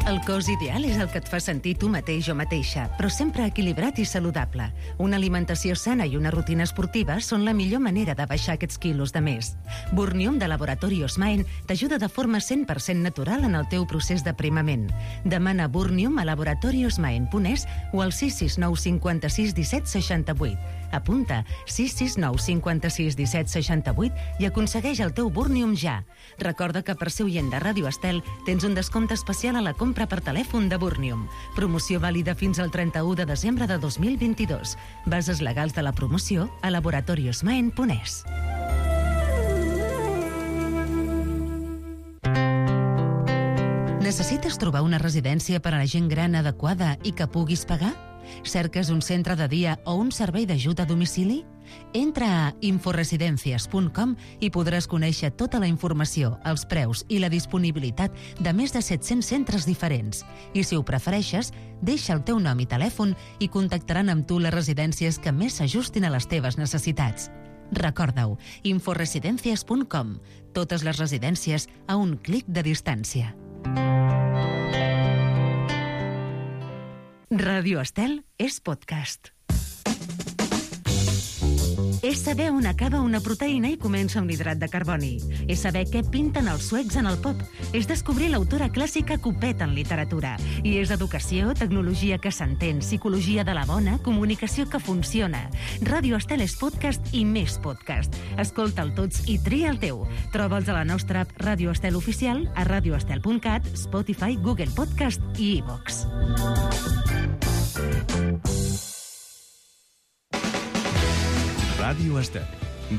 D: El cos ideal és el que et fa sentir tu mateix o mateixa, però sempre equilibrat i saludable. Una alimentació sana i una rutina esportiva són la millor manera de baixar aquests quilos de més. Burnium de Laboratori Osmaen t'ajuda de forma cent per cent natural en el teu procés d'aprimament. Demana Burnium a laboratori osmaen punt es o al sis sis nou cinc sis disset seixanta vuit. Apunta sis sis nou cinc sis disset seixanta vuit i aconsegueix el teu Burnium ja. Recorda que per ser oient de Ràdio Estel tens un descompte especial a la compra per telèfon de Burnium. Promoció vàlida fins al trenta-u de desembre de dos mil vint-i-dos. Bases legals de la promoció a laboratori osmaen punt es. Necessites trobar una residència per a la gent gran adequada i que puguis pagar? Cerques un centre de dia o un servei d'ajut a domicili? Entra a inforesidencias punt com i podràs conèixer tota la informació, els preus i la disponibilitat de més de set-cents centres diferents. I si ho prefereixes, deixa el teu nom i telèfon i contactaran amb tu les residències que més s'ajustin a les teves necessitats. Recorda-ho, inforesidencias punt com. Totes les residències a un clic de distància. Ràdio Estel és podcast. És saber on acaba una proteïna i comença un hidrat de carboni. És saber què pinten els suecs en el pop. És descobrir l'autora clàssica que ho peta en literatura. I és educació, tecnologia que s'entén, psicologia de la bona, comunicació que funciona. Ràdio Estel és podcast i més podcast. Escolta'l tots i tria el teu. Troba'ls a la nostra app Ràdio Estel Oficial, a radioestel punt cat, Spotify, Google Podcast i iVox.
C: Ràdio Estel.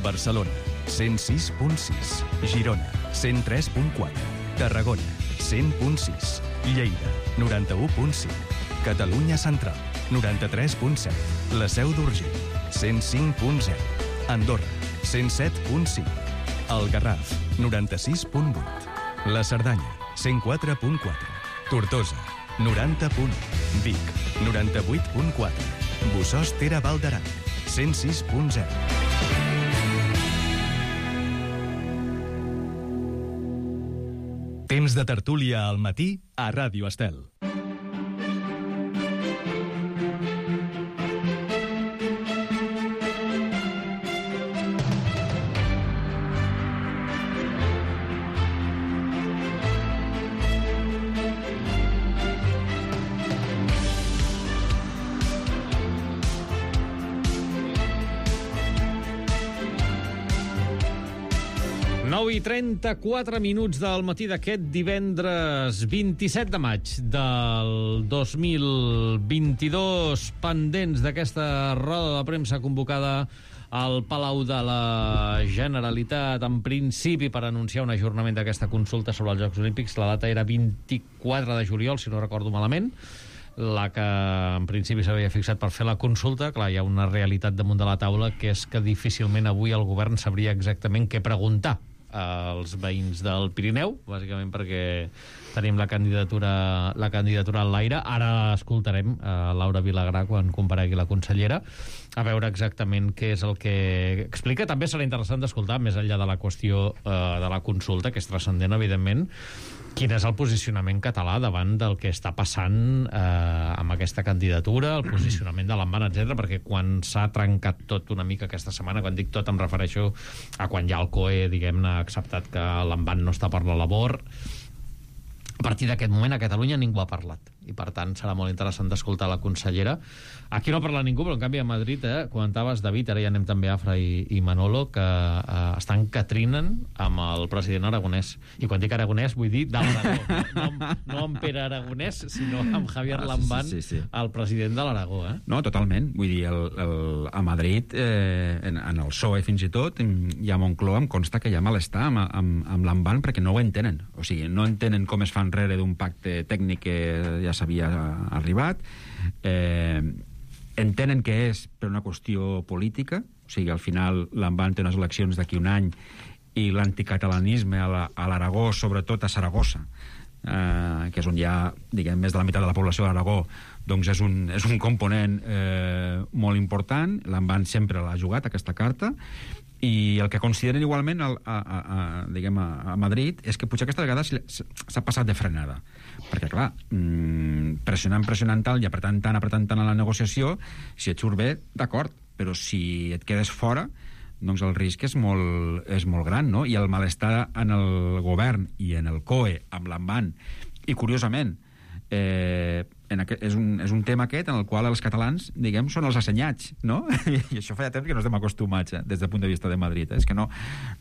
C: Barcelona, cent sis punt sis. Girona, cent tres punt quatre. Tarragona, cent punt sis. Lleida, noranta-u punt cinc. Catalunya Central, noranta-tres punt set. La Seu d'Urgell, cent cinc punt zero. Andorra, cent set punt cinc. El Garraf, noranta-sis punt vuit. La Cerdanya, cent quatre punt quatre. Tortosa, noranta punt u. Vic, noranta-vuit punt quatre. Bossòst Tere Val d'Aran, cent sis punt zero. Temps de tertúlia al matí a Ràdio Estel.
A: nou i trenta-quatre minuts del matí d'aquest divendres vint-i-set de maig del dos mil vint-i-dos, pendents d'aquesta roda de premsa convocada al Palau de la Generalitat, en principi per anunciar un ajornament d'aquesta consulta sobre els Jocs Olímpics. La data era vint-i-quatre de juliol, si no recordo malament, la que en principi s'havia fixat per fer la consulta. Clar, hi ha una realitat damunt de la taula, que és que difícilment avui el govern sabria exactament què preguntar als veïns del Pirineu, bàsicament perquè tenim la candidatura, la candidatura en l'aire. Ara escoltarem a Laura Vilagrà quan comparegui la consellera, a veure exactament què és el que explica. També serà interessant d'escoltar, més enllà de la qüestió eh, de la consulta, que és transcendent, evidentment, quin és el posicionament català davant del que està passant eh, amb aquesta candidatura, el posicionament de l'Amban, etcètera, perquè quan s'ha trencat tot una mica aquesta setmana, quan dic tot em refereixo a quan ja el C O E, diguem-ne, ha acceptat que l'Amban no està per la labor. A partir d'aquest moment a Catalunya ningú ha parlat, i per tant serà molt interessant d'escoltar la consellera. Aquí no parla ningú, però en canvi a Madrid, eh, comentaves, David, ara ja anem també a Afra i, i Manolo, que eh, estan catrinen amb el president aragonès. I quan dic aragonès vull dir de l'Aragó, no, no, no amb Pere Aragonès, sinó amb Javier ah, Lambán, sí, sí, sí, sí. El president de l'Aragó. Eh?
F: No, totalment. Vull dir, el, el, a Madrid, eh, en, en el P S O E fins i tot, i a Moncloa em consta que hi ha malestar amb, amb, amb Lambán perquè no ho entenen. O sigui, no entenen com es fa enrere d'un pacte tècnic que ja s'havia arribat, eh, entenen que és per una qüestió política, o sigui, al final l'Amban té unes eleccions d'aquí un any i l'anticatalanisme a l'Aragó, sobretot a Saragossa, eh, que és on hi ha, diguem, més de la meitat de la població de l'Aragó, doncs és un, és un component eh, molt important. L'Amban sempre l'ha jugat, aquesta carta, i el que consideren igualment a, a, a, diguem, a Madrid és que potser aquesta vegada s'ha passat de frenada, perquè clar, pressionant, pressionant tant i apretant tant, apretant tant a la negociació, si et surt bé, d'acord, però si et quedes fora, doncs el risc és molt, és molt gran, no? I el malestar en el govern i en el C O E amb l'Amban, i curiosament eh, en aquest, és, un, és un tema aquest en el qual els catalans, diguem, són els assenyats, no? I això fa ja temps que no estem acostumats, eh, des del punt de vista de Madrid. Eh? És que no,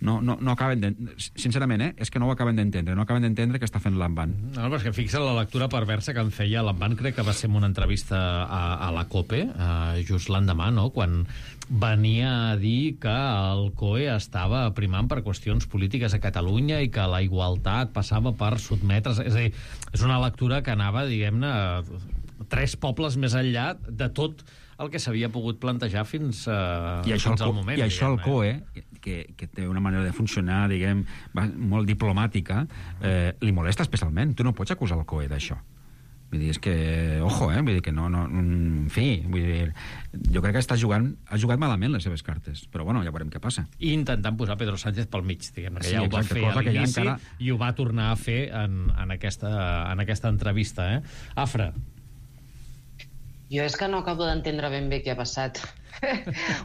F: no, no, no acaben de... Sincerament, eh? És que no ho acaben d'entendre. No acaben d'entendre què està fent l'Amban.
A: No, però és que fixa la lectura perversa que en feia l'Amban, crec que va ser en una entrevista a, a la COPE, eh, just l'endemà, no?, quan venia a dir que el C O E estava primant per qüestions polítiques a Catalunya i que la igualtat passava per sotmetre's. És a dir, és una lectura que anava, diguem-ne, tres pobles més enllà de tot el que s'havia pogut plantejar fins, uh,
F: I això
A: fins
F: al
A: al moment.
F: I això
A: diguem,
F: el C O E, que, que té una manera de funcionar, diguem, molt diplomàtica, eh, li molesta especialment. Tu no pots acusar el C O E d'això. Vull dir, és que, ojo, eh? Vull dir que no, no, en fi, vull dir, jo crec que està jugant, ha jugat malament les seves cartes, però bueno, ja veurem què passa.
A: I intentant posar Pedro Sánchez pel mig, diguem, que
F: sí,
A: ja ho
F: exacte,
A: va fer a l'inici
F: encara...
A: i ho va tornar a fer en, en, aquesta, en aquesta entrevista, eh? Afra.
G: Jo és que no acabo d'entendre ben bé què ha passat.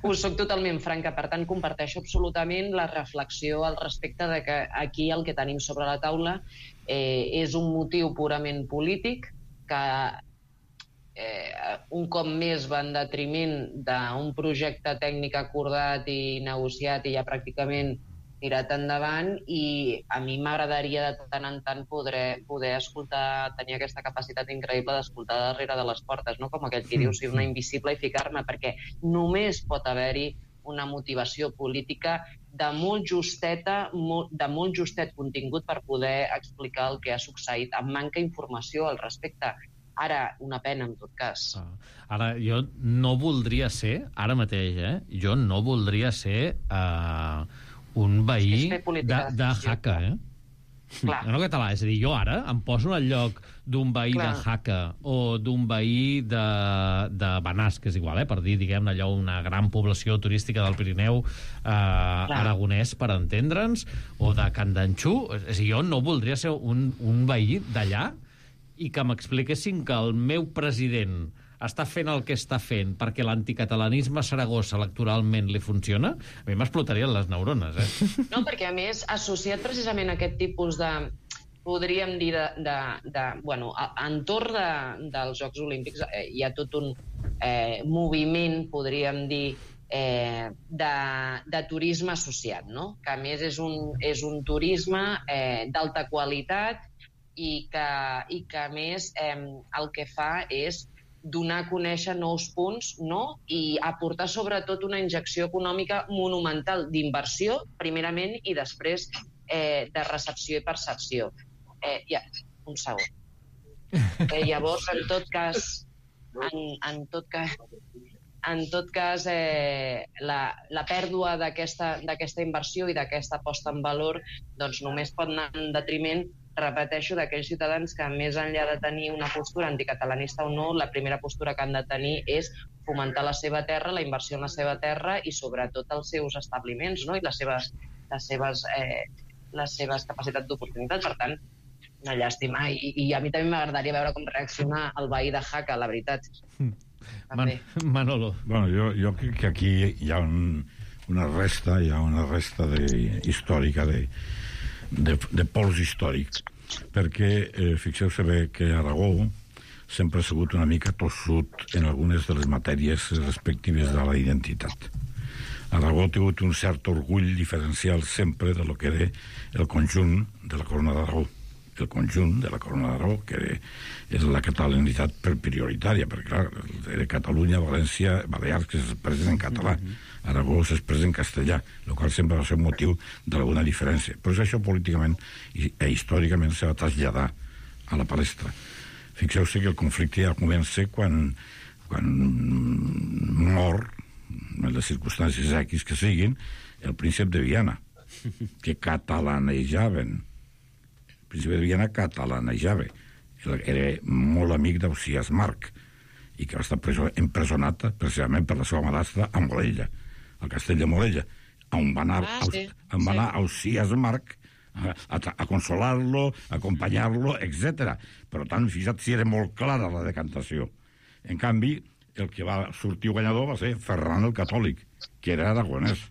G: Us soc totalment franca, per tant comparteixo absolutament la reflexió al respecte de que aquí el que tenim sobre la taula eh, és un motiu purament polític que eh, un cop més va en detriment d'un projecte tècnic acordat i negociat i ja pràcticament tirat endavant, i a mi m'agradaria de tant en tant poder, poder escoltar, tenir aquesta capacitat increïble d'escoltar darrere de les portes, no? Com aquell que diu, ser una invisible i ficar-me, perquè només pot haver-hi una motivació política de molt justeta, de molt justet contingut per poder explicar el que ha succeït, amb manca d'informació al respecte. Ara, una pena, en tot cas.
A: Ara, jo no voldria ser, ara mateix, eh? Jo no voldria ser uh, un veí de, de Jaca, eh?
G: Clar.
A: No català, és a dir, jo ara em poso al lloc d'un veí Clar. de Jaca o d'un veí de, de Benàs, que és igual, eh, per dir, diguem, allò, una gran població turística del Pirineu eh, aragonès, per entendre'ns, o de Candanxú. És a dir, jo no voldria ser un, un veí d'allà i que m'expliquessin que el meu president està fent el que està fent perquè l'anticatalanisme a Saragossa electoralment li funciona, a mi m'explotarien les neurones, eh?
G: No, perquè a més, associat precisament a aquest tipus de, podríem dir, de, de, de bueno, entorn de, dels Jocs Olímpics eh, hi ha tot un eh, moviment, podríem dir, eh, de, de turisme associat, no? Que a més és un, és un turisme eh, d'alta qualitat i que, i que a més eh, el que fa és donar a conèixer nous punts, no? I aportar sobretot una injecció econòmica monumental d'inversió, primerament, i després eh, de recepció i percepció. Eh, ja, un segon. Eh, llavors, en tot cas, en, en tot cas, en tot cas eh, la, la pèrdua d'aquesta d'aquesta inversió i d'aquesta posta en valor doncs només pot anar en detriment, repeteixo, d'aquells ciutadans que, més enllà de tenir una postura anticatalanista o no, la primera postura que han de tenir és fomentar la seva terra, la inversió en la seva terra i, sobretot, els seus establiments, no? I les seves, les seves, eh, les seves capacitats d'oportunitat. Per tant, una llàstima. I, i a mi també m'agradaria veure com reacciona el veí de Jaca, la veritat.
A: Man Manolo.
H: Bueno, jo, jo crec que aquí hi ha un, una resta, hi ha una resta de, històrica de De, de pols històric, perquè eh, fixeu-se bé que Aragó sempre ha sigut una mica tossut en algunes de les matèries respectives de la identitat. Aragó ha tingut un cert orgull diferencial sempre de lo que era el conjunt de la Corona d'Aragó. El conjunt de la Corona d'Aragó, que és la catalanitat per prioritària, perquè, clar, era Catalunya, València, Balears, que s'expressen en català. Aragó s'expressa en castellà, el qual sempre va ser un motiu d'alguna diferència. Però això políticament i e històricament se va traslladar a la palestra. Fixeu-se que el conflicte ja comença quan, quan mor, en les circumstàncies X que siguin, el príncep de Viana, que catalanejaven. El príncep de Viana catalanejava. Era molt amic d'Ausiàs Marc i que va estar empresonat precisament per la seva madrastra a Morella, al castell de Morella, on va anar, ah, sí. on va anar Ausiàs Marc a, a, a consolar-lo, a acompanyar-lo, etcètera. Per tant, fixa't si era molt clara la decantació. En canvi, el que va sortir guanyador va ser Ferran el Catòlic, que era aragonès.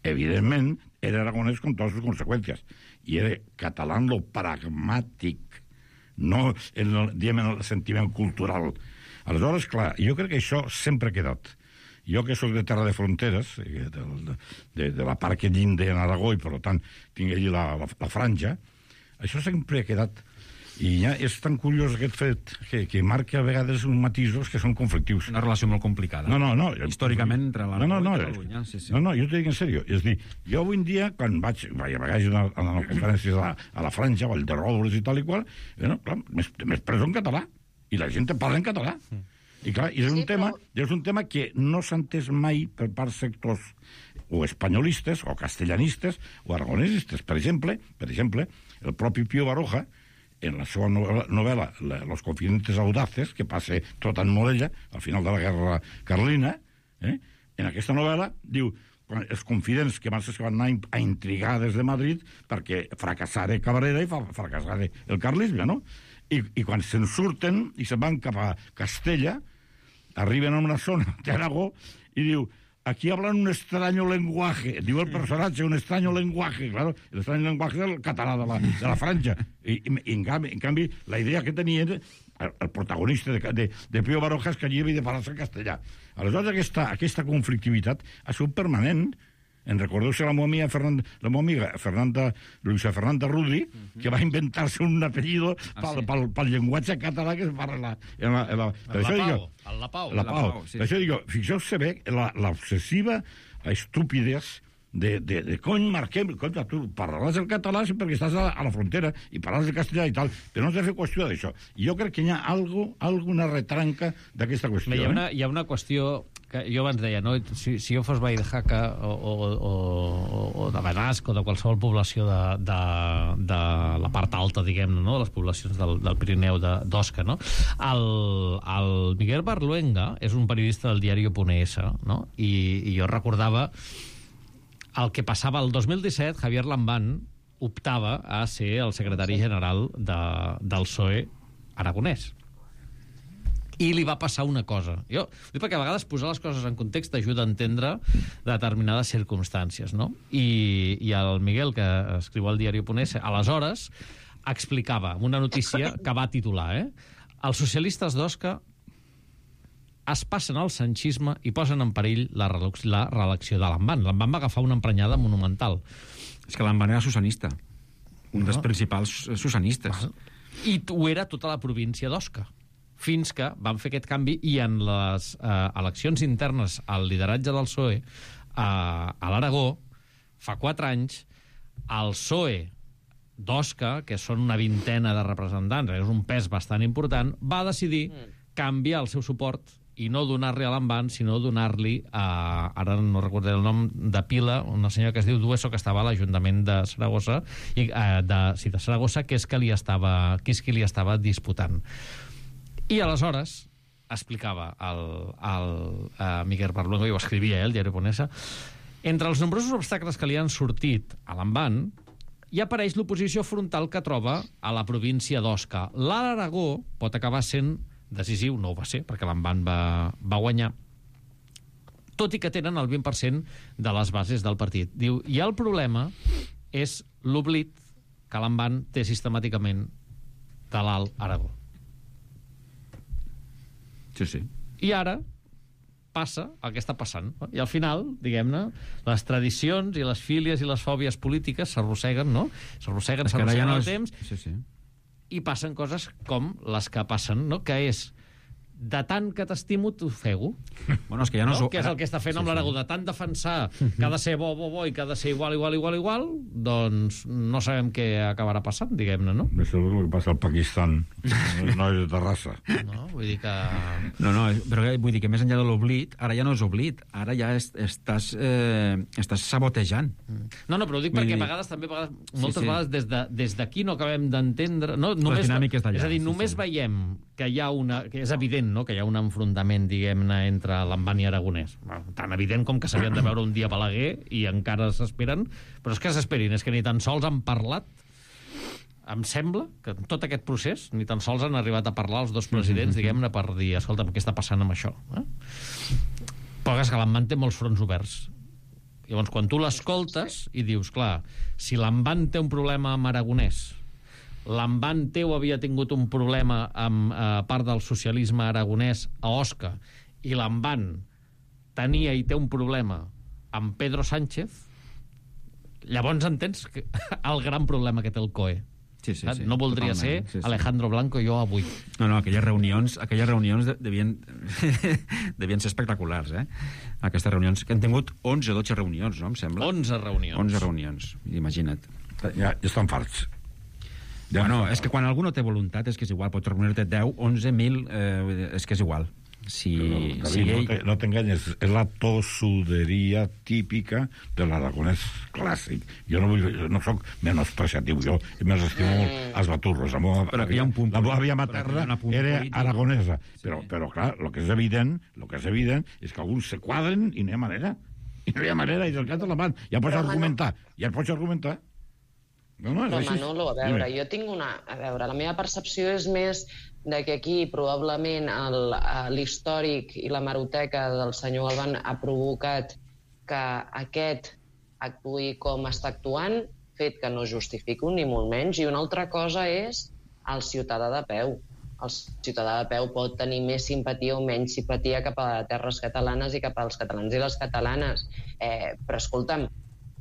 H: Evidentment, era aragonès con totes les conseqüències. I era català en lo pragmàtic, no en el, diguem, en el sentiment cultural. Aleshores, clar, jo crec que això sempre ha quedat. Jo, que soc de terra de fronteres, de, de, de, de la part que llinda en Aragó i, per tant, tinc allí la, la, la franja, això sempre ha quedat. I ja és tan curiós aquest fet que, que marca a vegades uns matisos que són conflictius.
F: Una relació molt complicada.
H: No, no, no.
F: Històricament, entre l'Aragó
H: no, no, no,
F: i Catalunya. Sí, sí.
H: No, no, jo t'ho dic en sèrio. És dir, jo avui en dia, quan vaig, vaig a vegades a, a les conferències a, a la Franja, Vall de Roures i tal i qual, bueno, clar, m'he expreso en català. I la gent parla en català. Mm. I clar, és un, sí, tema, però... és un tema que no s'ha entès mai per part sectors o espanyolistes, o castellanistes, o aragonesistes. Per exemple, per exemple, el propi Pío Baroja, en la seva novel·la Los confidentes audaces, que passa tot en Morella, al final de la guerra carlina, eh? En aquesta novel·la diu els confidents que van ser que van anar a intrigar des de Madrid perquè fracassara Cabrera i fracassara el carlisme, no? I, i quan se'n surten i se'n van cap a Castella, arriben a una zona d'Aragó i diu, aquí hablan un extraño lenguaje, diu el personatge, un extraño lenguaje, claro, el extraño lenguaje del català de la, de la Franja. I, i, i en, canvi, en canvi, la idea que tenia el, el protagonista de, de, de Pío Baroja és que allí havia de parlar-se en castellà. Aleshores, aquesta, aquesta conflictivitat ha sigut permanent. En recordeu-se la meva Fernanda, la meva amiga Fernanda, Luisa Fernanda Rudi, uh -huh. que va inventar-se un apellido ah, pel, sí. pel, pel llenguatge català que es parla en la, en la,
A: en la, la Pau. El La Pau.
H: La Pau. Sí. Per això dic, fixeu-se bé l'obsessiva estupidesa de, de, de cony, marquem, cony, tu parlaràs el català perquè estàs a, a la frontera i parlaràs el castellà i tal, però no s'ha de fer qüestió d'això. I jo crec que hi ha algo, alguna retranca d'aquesta qüestió.
A: Hi ha, una, hi ha una qüestió que jo abans deia, no? si, si jo fos veí de Jaca o, o, o, o de Benasc o de qualsevol població de, de, de la part alta, diguem-ne, no? Les poblacions del, del Pirineu d'Osca, no? El, el Miguel Barluenga és un periodista del diari Punt es, no? I, i jo recordava el que passava el dos mil disset, Javier Lambán optava a ser el secretari general de, del P S O E aragonès. I li va passar una cosa. Jo, perquè a vegades posar les coses en context ajuda a entendre determinades circumstàncies, no? I, i el Miguel, que escriu al diari Punt es, aleshores explicava una notícia que va titular, eh? Els socialistes d'Osca es passen al sanchisme i posen en perill la, la reelecció de Lamban. Lamban va agafar una emprenyada monumental.
F: És que Lamban era susanista, un dels principals susanistes.
A: I ho era tota la província d'Osca, fins que van fer aquest canvi i en les eh, eleccions internes al lideratge del P S O E eh, a l'Aragó, fa quatre anys, el P S O E d'Osca, que són una vintena de representants, és un pes bastant important, va decidir canviar el seu suport i no donar-li a Lamban, sinó donar-li a, ara no recordo el nom, de Pila, una senyora que es diu Dueso, que estava a l'Ajuntament de Saragossa, i, eh, de, sí, de Saragossa, que és, que li estava, que és qui li estava disputant. I aleshores explicava el, el uh, Miguel Parlongo, i ho escrivia ell, diari Ponesa, entre els nombrosos obstacles que li han sortit a Lamban, hi apareix l'oposició frontal que troba a la província d'Osca. L'Aragó pot acabar sent decisiu, no ho va ser, perquè Lamban va, va guanyar, tot i que tenen el vint per cent de les bases del partit. Diu, i el problema és l'oblit que Lamban té sistemàticament de l'Alt Aragó.
F: Sí, sí.
A: I ara passa el que està passant. No? I al final, diguem-ne, les tradicions i les fílies i les fòbies polítiques s'arrosseguen, no? S'arrosseguen, s'arrosseguen ja no el és... temps,
F: sí, sí.
A: i passen coses com les que passen, no? Que és, de tant que t'estimo, t'ofego.
F: Bueno, és que ja no,
A: no?
F: no...
A: Que és el que està fent sí, amb l'Aragó, sí. De tant defensar que ha de ser bo, bo, bo i que ha de ser igual, igual, igual, igual, doncs no sabem què acabarà passant, diguem-ne, no?
H: Això és el que passa al Pakistan. No és de raça.
A: No, vull dir que...
F: No, no, però vull dir que més enllà de l'oblit, ara ja no és oblit, ara ja est, estàs, eh, estàs sabotejant.
A: No, no, però ho dic vull perquè dir... a vegades, també, a vegades, moltes sí, sí. vegades, des de, des d'aquí no acabem d'entendre... No, només,
F: les dinàmiques d'allà.
A: És a dir, només sí, sí. veiem que hi ha una... que és evident, no?, que hi ha un enfrontament, diguem-ne, entre Lamban i Aragonès. Tan evident com que s'havien de veure un dia a Balaguer i encara s'esperen, però és que s'esperin, és que ni tan sols han parlat. Em sembla que en tot aquest procés ni tan sols han arribat a parlar els dos presidents, diguem-ne, per dir, escolta'm, què està passant amb això? Eh? Però és que Lamban té molts fronts oberts. Llavors, quan tu l'escoltes i dius, clar, si Lamban té un problema amb Aragonès, Lamban teu havia tingut un problema amb eh, part del socialisme aragonès a Osca, i Lamban tenia i té un problema amb Pedro Sánchez, llavors entens que el gran problema que té el C O E.
F: Sí, sí, sí,
A: no voldria ser
F: sí, sí.
A: Alejandro Blanco jo avui.
F: No, no, aquelles reunions, aquelles reunions devien, devien ser espectaculars, eh? Aquestes reunions, que han tingut onze o dotze reunions, no, em sembla?
A: onze reunions.
F: onze reunions, imagina't.
H: Ja, ja estan farts.
F: Ja bueno, és que quan algú no té voluntat és que és igual, pots reunir-te deu, onze mil, eh, és que és igual. Si,
H: Però,
F: si
H: David,
F: ell...
H: no t'enganyes, és la tossuderia típica de l'aragonès clàssic. Jo no, vull, no soc menospreciatiu, jo més estimo molt els baturros. La meva,
F: però hi ha un punt
H: la meva àvia materna era polític. Aragonesa. Sí. Però, però, clar, el que és evident, el que és evident és que alguns se quadren i no hi ha manera. I no hi ha manera, i del cap de la mà. Ja pots argumentar, ja pots argumentar. No, no,
G: però Manolo, a veure, jo tinc una... A veure, la meva percepció és més de que aquí probablement l'històric i la hemeroteca del senyor Galván ha provocat que aquest actuï com està actuant, fet que no justifico ni molt menys, i una altra cosa és el ciutadà de peu. El ciutadà de peu pot tenir més simpatia o menys simpatia cap a terres catalanes i cap als catalans i les catalanes. Eh, però, escolta'm,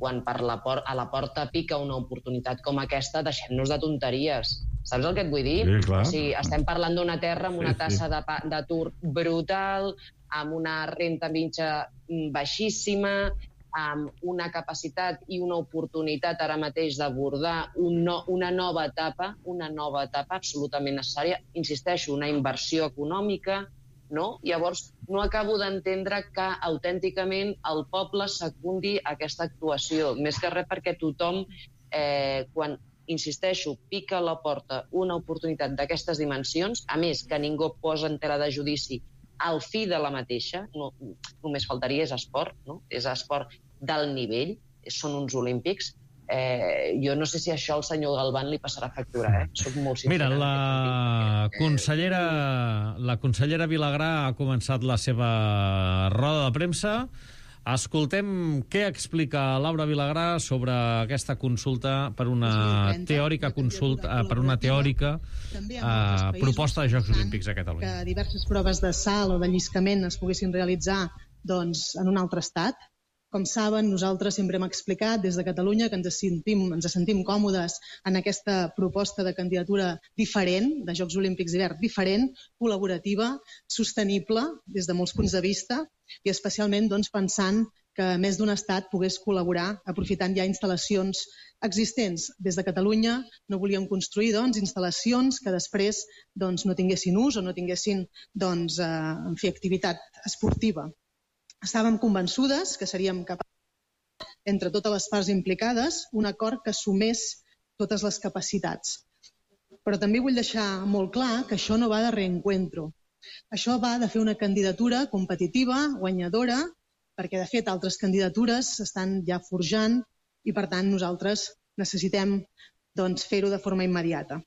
G: quan per la por a la porta pica una oportunitat com aquesta, deixem-nos de tonteries. Saps el que et vull dir?
H: Sí, clar.
G: O sigui, estem parlant d'una terra amb una
H: Sí,
G: tassa de pa- d'atur brutal, amb una renta mitja baixíssima, amb una capacitat i una oportunitat ara mateix d'abordar un no, una nova etapa, una nova etapa absolutament necessària. Insisteixo, una inversió econòmica, no? Llavors, no acabo d'entendre que autènticament el poble secundi aquesta actuació. Més que res perquè tothom, eh, quan, insisteixo, pica a la porta una oportunitat d'aquestes dimensions, a més que ningú posa en tela de judici al fi de la mateixa, no, només faltaria, és esport, no? És esport d'alt nivell, són uns olímpics. Eh, jo no sé si això al senyor Galván li passarà factura, eh? Soc molt sincera.
A: Mira, la consellera, la consellera Vilagrà ha començat la seva roda de premsa Escoltem què explica Laura Vilagrà sobre aquesta consulta per una teòrica consulta, per una teòrica eh, proposta de Jocs Olímpics a Catalunya.
I: Que diverses proves de salt o de lliscament es poguessin realitzar doncs, en un altre estat. Com saben, nosaltres sempre hem explicat des de Catalunya que ens sentim, ens sentim còmodes en aquesta proposta de candidatura diferent, de Jocs Olímpics d'hivern diferent, col·laborativa, sostenible des de molts punts de vista i especialment doncs, pensant que més d'un estat pogués col·laborar aprofitant ja instal·lacions existents. Des de Catalunya no volíem construir doncs, instal·lacions que després doncs, no tinguessin ús o no tinguessin doncs, eh, en fi, activitat esportiva. Estàvem convençudes que seríem capaços, entre totes les parts implicades, un acord que sumés totes les capacitats. Però també vull deixar molt clar que això no va de reencuentro. Això va de fer una candidatura competitiva, guanyadora, perquè de fet altres candidatures s'estan ja forjant i per tant nosaltres necessitem doncs, fer-ho de forma immediata.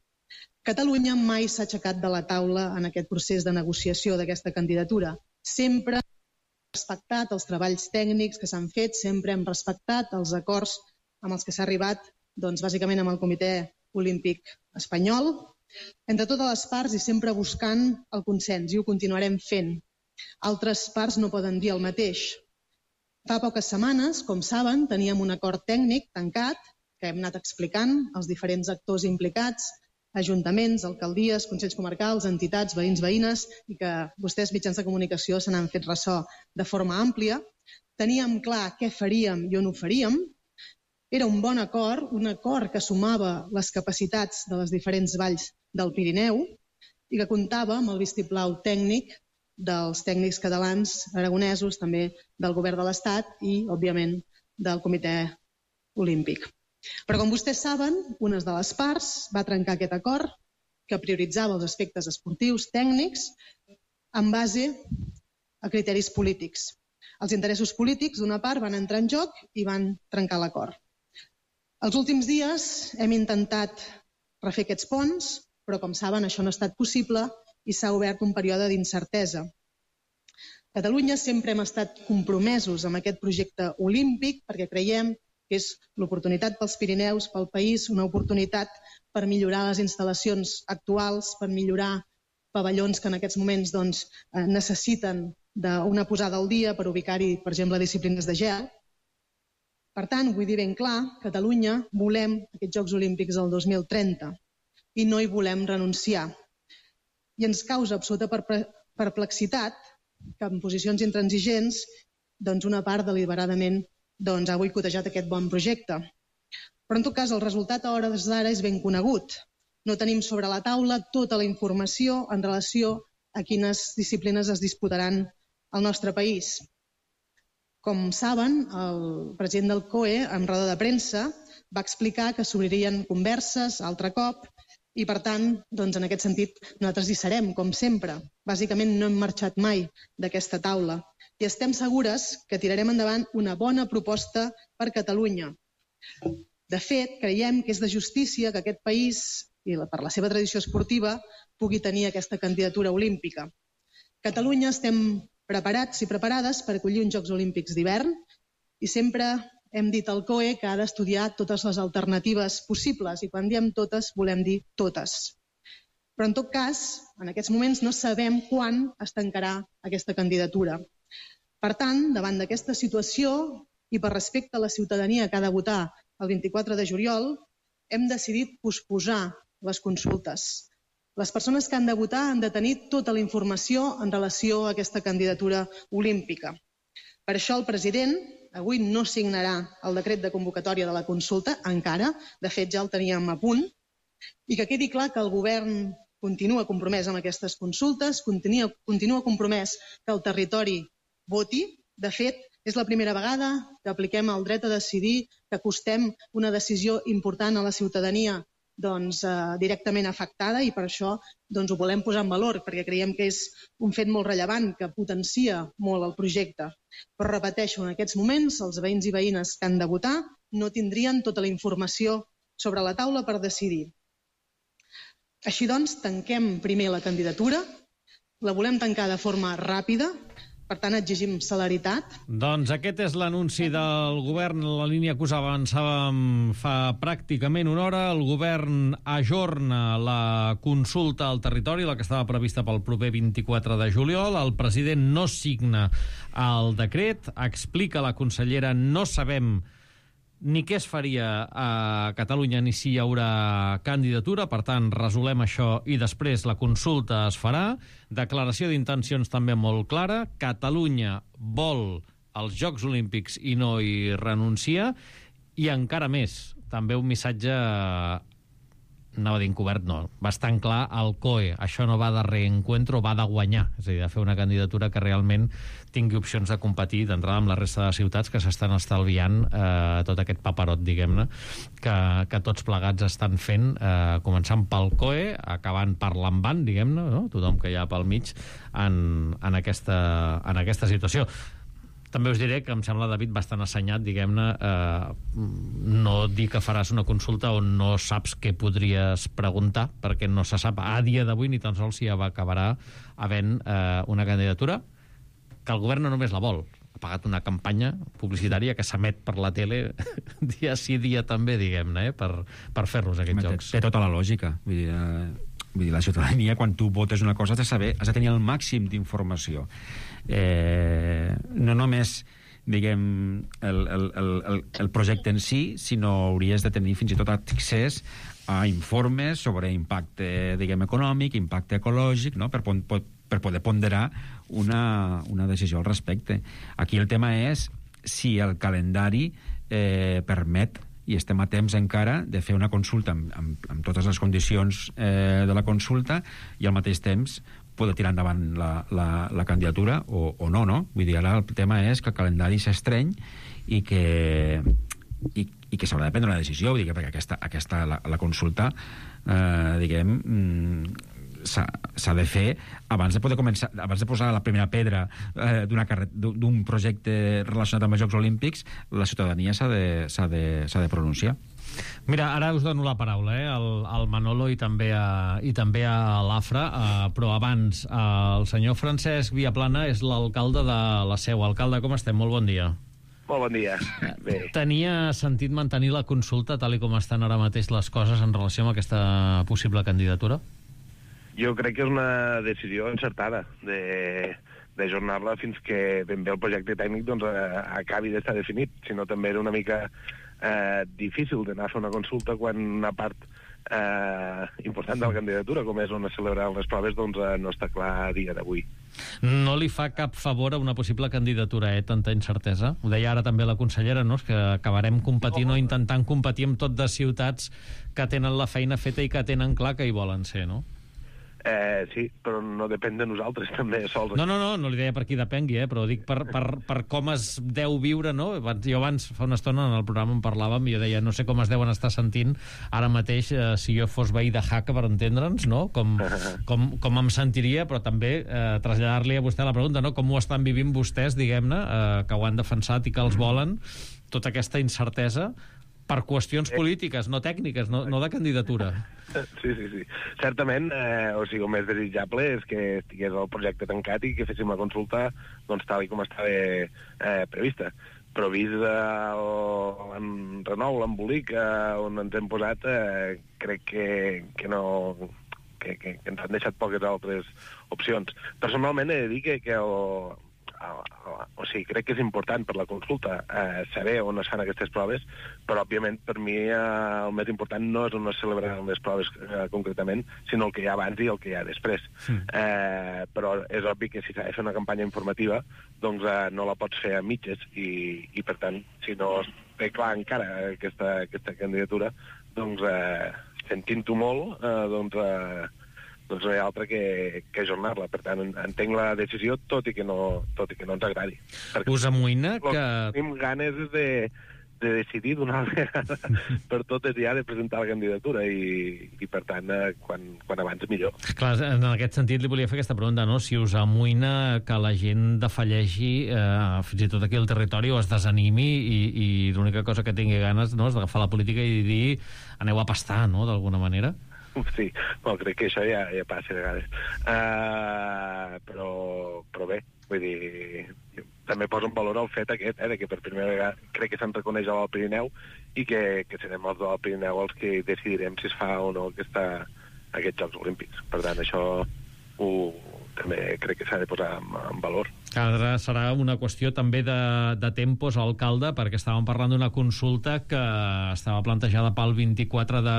I: Catalunya mai s'ha aixecat de la taula en aquest procés de negociació d'aquesta candidatura. Sempre respectat els treballs tècnics que s'han fet, sempre hem respectat els acords amb els que s'ha arribat, doncs, bàsicament amb el Comitè Olímpic Espanyol, entre totes les parts i sempre buscant el consens, i ho continuarem fent. Altres parts no poden dir el mateix. Fa poques setmanes, com saben, teníem un acord tècnic tancat que hem anat explicant als diferents actors implicats, ajuntaments, alcaldies, consells comarcals, entitats, veïns, veïnes, i que vostès, mitjans de comunicació, se n'han fet ressò de forma àmplia. Teníem clar què faríem i on ho faríem. Era un bon acord, un acord que sumava les capacitats de les diferents valls del Pirineu i que comptava amb el vistiplau tècnic dels tècnics catalans, aragonesos, també del govern de l'Estat i, òbviament, del Comitè Olímpic. Però, com vostès saben, una de les parts va trencar aquest acord que prioritzava els aspectes esportius tècnics en base a criteris polítics. Els interessos polítics d'una part van entrar en joc i van trencar l'acord. Els últims dies hem intentat refer aquests ponts, però, com saben, això no ha estat possible i s'ha obert un període d'incertesa. Catalunya sempre hem estat compromesos amb aquest projecte olímpic perquè creiem que és l'oportunitat pels Pirineus, pel país, una oportunitat per millorar les instal·lacions actuals, per millorar pavellons que en aquests moments doncs, necessiten d'una posada al dia per ubicar-hi, per exemple, disciplines de gel. Per tant, vull dir ben clar, Catalunya volem aquests Jocs Olímpics del dos mil trenta i no hi volem renunciar. I ens causa absoluta perplexitat que en posicions intransigents doncs una part deliberadament doncs, ha boicotejat aquest bon projecte. Però, en tot cas, el resultat a hores d'ara és ben conegut. No tenim sobre la taula tota la informació en relació a quines disciplines es disputaran al nostre país. Com saben, el president del C O E, en roda de premsa, va explicar que s'obririen converses altre cop i, per tant, doncs, en aquest sentit, nosaltres hi serem, com sempre. Bàsicament, no hem marxat mai d'aquesta taula. I estem segures que tirarem endavant una bona proposta per Catalunya. De fet, creiem que és de justícia que aquest país, i per la seva tradició esportiva, pugui tenir aquesta candidatura olímpica. Catalunya estem preparats i preparades per acollir uns Jocs Olímpics d'hivern i sempre hem dit al C O E que ha d'estudiar totes les alternatives possibles i quan diem totes volem dir totes. Però en tot cas, en aquests moments no sabem quan es tancarà aquesta candidatura. Per tant, davant d'aquesta situació i per respecte a la ciutadania que ha de votar el vint-i-quatre de juliol, hem decidit posposar les consultes. Les persones que han de votar han de tenir tota la informació en relació a aquesta candidatura olímpica. Per això el president avui no signarà el decret de convocatòria de la consulta, encara, de fet ja el teníem a punt, i que quedi clar que el govern continua compromès amb aquestes consultes, continua, continua compromès que el territori voti. De fet, és la primera vegada que apliquem el dret a decidir, que acostem una decisió important a la ciutadania doncs, eh, directament afectada i per això doncs, ho volem posar en valor perquè creiem que és un fet molt rellevant que potencia molt el projecte. Però repeteixo, en aquests moments els veïns i veïnes que han de votar no tindrien tota la informació sobre la taula per decidir. Així doncs, tanquem primer la candidatura, la volem tancar de forma ràpida, Per tant, exigim celeritat.
A: Doncs aquest és l'anunci del govern, la línia que us avançàvem fa pràcticament una hora. El govern ajorna la consulta al territori, la que estava prevista pel proper vint-i-quatre de juliol. El president no signa el decret, explica la consellera, no sabem ni què es faria a Catalunya ni si hi haurà candidatura, per tant, resolem això i després la consulta es farà. Declaració d'intencions també molt clara. Catalunya vol els Jocs Olímpics i no hi renuncia. I encara més, també un missatge, anava a dir encobert, no, bastant clar, el C O E. Això no va de reencuentro, va de guanyar. És a dir, de fer una candidatura que realment tingui opcions de competir d'entrada amb la resta de ciutats que s'estan estalviant eh, tot aquest paperot, diguem-ne, que, que tots plegats estan fent, eh, començant pel C O E, acabant per l'Envan, diguem-ne, no? Tothom que hi ha pel mig en, en, aquesta, en aquesta situació. També us diré que em sembla, David, bastant assenyat, diguem-ne, eh, no dir que faràs una consulta on no saps què podries preguntar, perquè no se sap a dia d'avui ni tan sols si ja acabarà havent eh, una candidatura, que el govern no només la vol, ha pagat una campanya publicitària que s'emet per la tele dia sí, dia també, diguem-ne, eh, per, per fer-los aquests
F: Home,
A: jocs.
F: Té, té tota la lògica. Vull dir, eh, vull dir, la ciutadania, quan tu votes una cosa, has de saber, has de tenir el màxim d'informació. Eh, no només, diguem, el, el, el, el projecte en si, sinó hauries de tenir fins i tot accés a informes sobre impacte, diguem, econòmic, impacte ecològic, no? per, per, per poder ponderar una, una decisió al respecte. Aquí el tema és si el calendari eh, permet, i estem a temps encara, de fer una consulta amb, amb, amb totes les condicions eh, de la consulta i al mateix temps poder tirar endavant la, la, la candidatura o, o no, no? Vull dir, ara el tema és que el calendari s'estreny i que, i, i que s'haurà de prendre una decisió, vull dir, perquè aquesta, aquesta la, la consulta, eh, diguem, s'ha de fer abans de poder començar, abans de posar la primera pedra eh, d'una carre... d'un projecte relacionat amb els Jocs Olímpics, la ciutadania s'ha de, s'ha de, s'ha de pronunciar.
A: Mira, ara us dono la paraula, eh, al, al Manolo i també a, i també a l'Afra, eh, però abans, eh, el senyor Francesc Viaplana és l'alcalde de la Seu. Alcalde, com estem? Molt bon dia.
J: Molt bon dia. Bé.
A: Tenia sentit mantenir la consulta tal i com estan ara mateix les coses en relació amb aquesta possible candidatura?
J: Jo crec que és una decisió encertada de d'ajornar-la fins que ben bé el projecte tècnic doncs, eh, acabi d'estar definit. Si no, també era una mica eh, difícil d'anar a fer una consulta quan una part eh, important de la candidatura, com és on es celebraran les proves, doncs eh, no està clar a dia d'avui.
A: No li fa cap favor a una possible candidatura, eh, tanta incertesa? Ho deia ara també la consellera, no? És que acabarem competint o intentant competir amb tot de ciutats que tenen la feina feta i que tenen clar que hi volen ser, no?
J: Eh, sí, però no depèn de nosaltres també sols.
A: No, no, no, no li deia per qui depengui, eh, però dic per, per, per com es deu viure, no? Jo abans, fa una estona, en el programa en parlàvem i jo deia, no sé com es deuen estar sentint ara mateix eh, si jo fos veí de Jaca, per entendre'ns, no? Com, com, com em sentiria, però també eh, traslladar-li a vostè la pregunta, no? Com ho estan vivint vostès, diguem-ne, eh, que ho han defensat i que els volen, tota aquesta incertesa per qüestions polítiques, no tècniques, no, no de candidatura.
J: Sí, sí, sí. Certament, eh, o sigui, el més desitjable és que estigués el projecte tancat i que féssim la consulta doncs, tal i com estava eh, prevista. Però vist el, en renou, l'embolic eh, on ens hem posat, eh, crec que, que no... Que, que, que ens han deixat poques altres opcions. Personalment he de dir que, que el, o sigui, crec que és important per la consulta eh, saber on es fan aquestes proves, però òbviament per mi eh, el més important no és on es celebraran les proves eh, concretament, sinó el que hi ha abans i el que hi ha després. Sí. Eh, però és obvi que si s'ha de fer una campanya informativa, doncs eh, no la pots fer a mitges i, i per tant, si no es té clar encara aquesta, aquesta candidatura, doncs eh, sentint-ho molt, eh, doncs eh, doncs no hi ha altre que, que ajornar-la. Per tant, entenc la decisió, tot i que no, tot i que no ens agradi. Perquè
A: us amoïna que...
J: tenim ganes de, de decidir d'una vegada per totes ja de presentar la candidatura i, i per tant, quan, quan abans millor.
A: Clar, en aquest sentit li volia fer aquesta pregunta, no? Si us amoïna que la gent defalleixi, eh, fins i tot aquí al territori, o es desanimi i, i l'única cosa que tingui ganes, no, és d'agafar la política i dir aneu a pastar, no?, d'alguna manera.
J: Sí, bueno, crec que això ja, ja passa a vegades. Uh, però, però bé, Vull dir, també poso en valor el fet aquest, eh, de que per primera vegada crec que se'n reconeix al Pirineu i que, que serem els del Pirineu els que decidirem si es fa o no aquesta, aquests Jocs Olímpics. Per tant, això ho, també crec que s'ha de posar en, en valor.
A: Ara serà una qüestió també de, de tempos, alcalde, perquè estàvem parlant d'una consulta que estava plantejada pel vint-i-quatre de,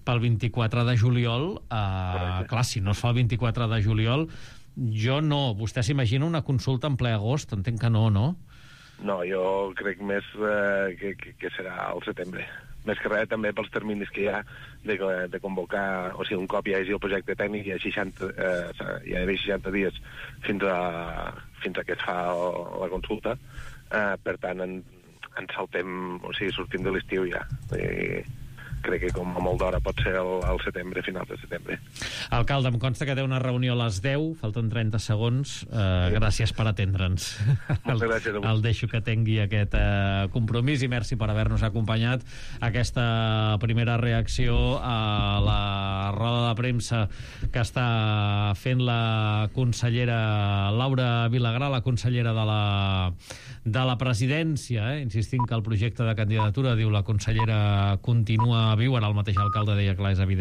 A: pel vint-i-quatre de juliol. Uh, clar, si no es fa el vint-i-quatre de juliol, jo no. Vostè s'imagina una consulta en ple agost? Entenc que no, no?
J: No, jo crec més eh, que, que, que serà al setembre. Més que res també pels terminis que hi ha de, de convocar, o sigui, un cop hi hagi el projecte tècnic hi ha seixanta, eh, hi ha d'haver seixanta dies fins a, fins a que es fa la consulta, eh, per tant en, en saltem, o sigui, sortim de l'estiu ja. I crec que com a molt d'hora pot ser el, el setembre, finals de setembre.
A: Alcalde, em consta que té una reunió a les deu, falten trenta segons. Eh, sí. Gràcies per atendre'ns.
J: Moltes gràcies a
A: el, el deixo que tingui aquest eh, compromís i merci per haver-nos acompanyat. Aquesta primera reacció a la roda de premsa que està fent la consellera Laura Vilagrà, la consellera de la, de la presidència, eh? Insistint que el projecte de candidatura, diu la consellera, continua viu. Ara el mateix alcalde deia, clar, és evident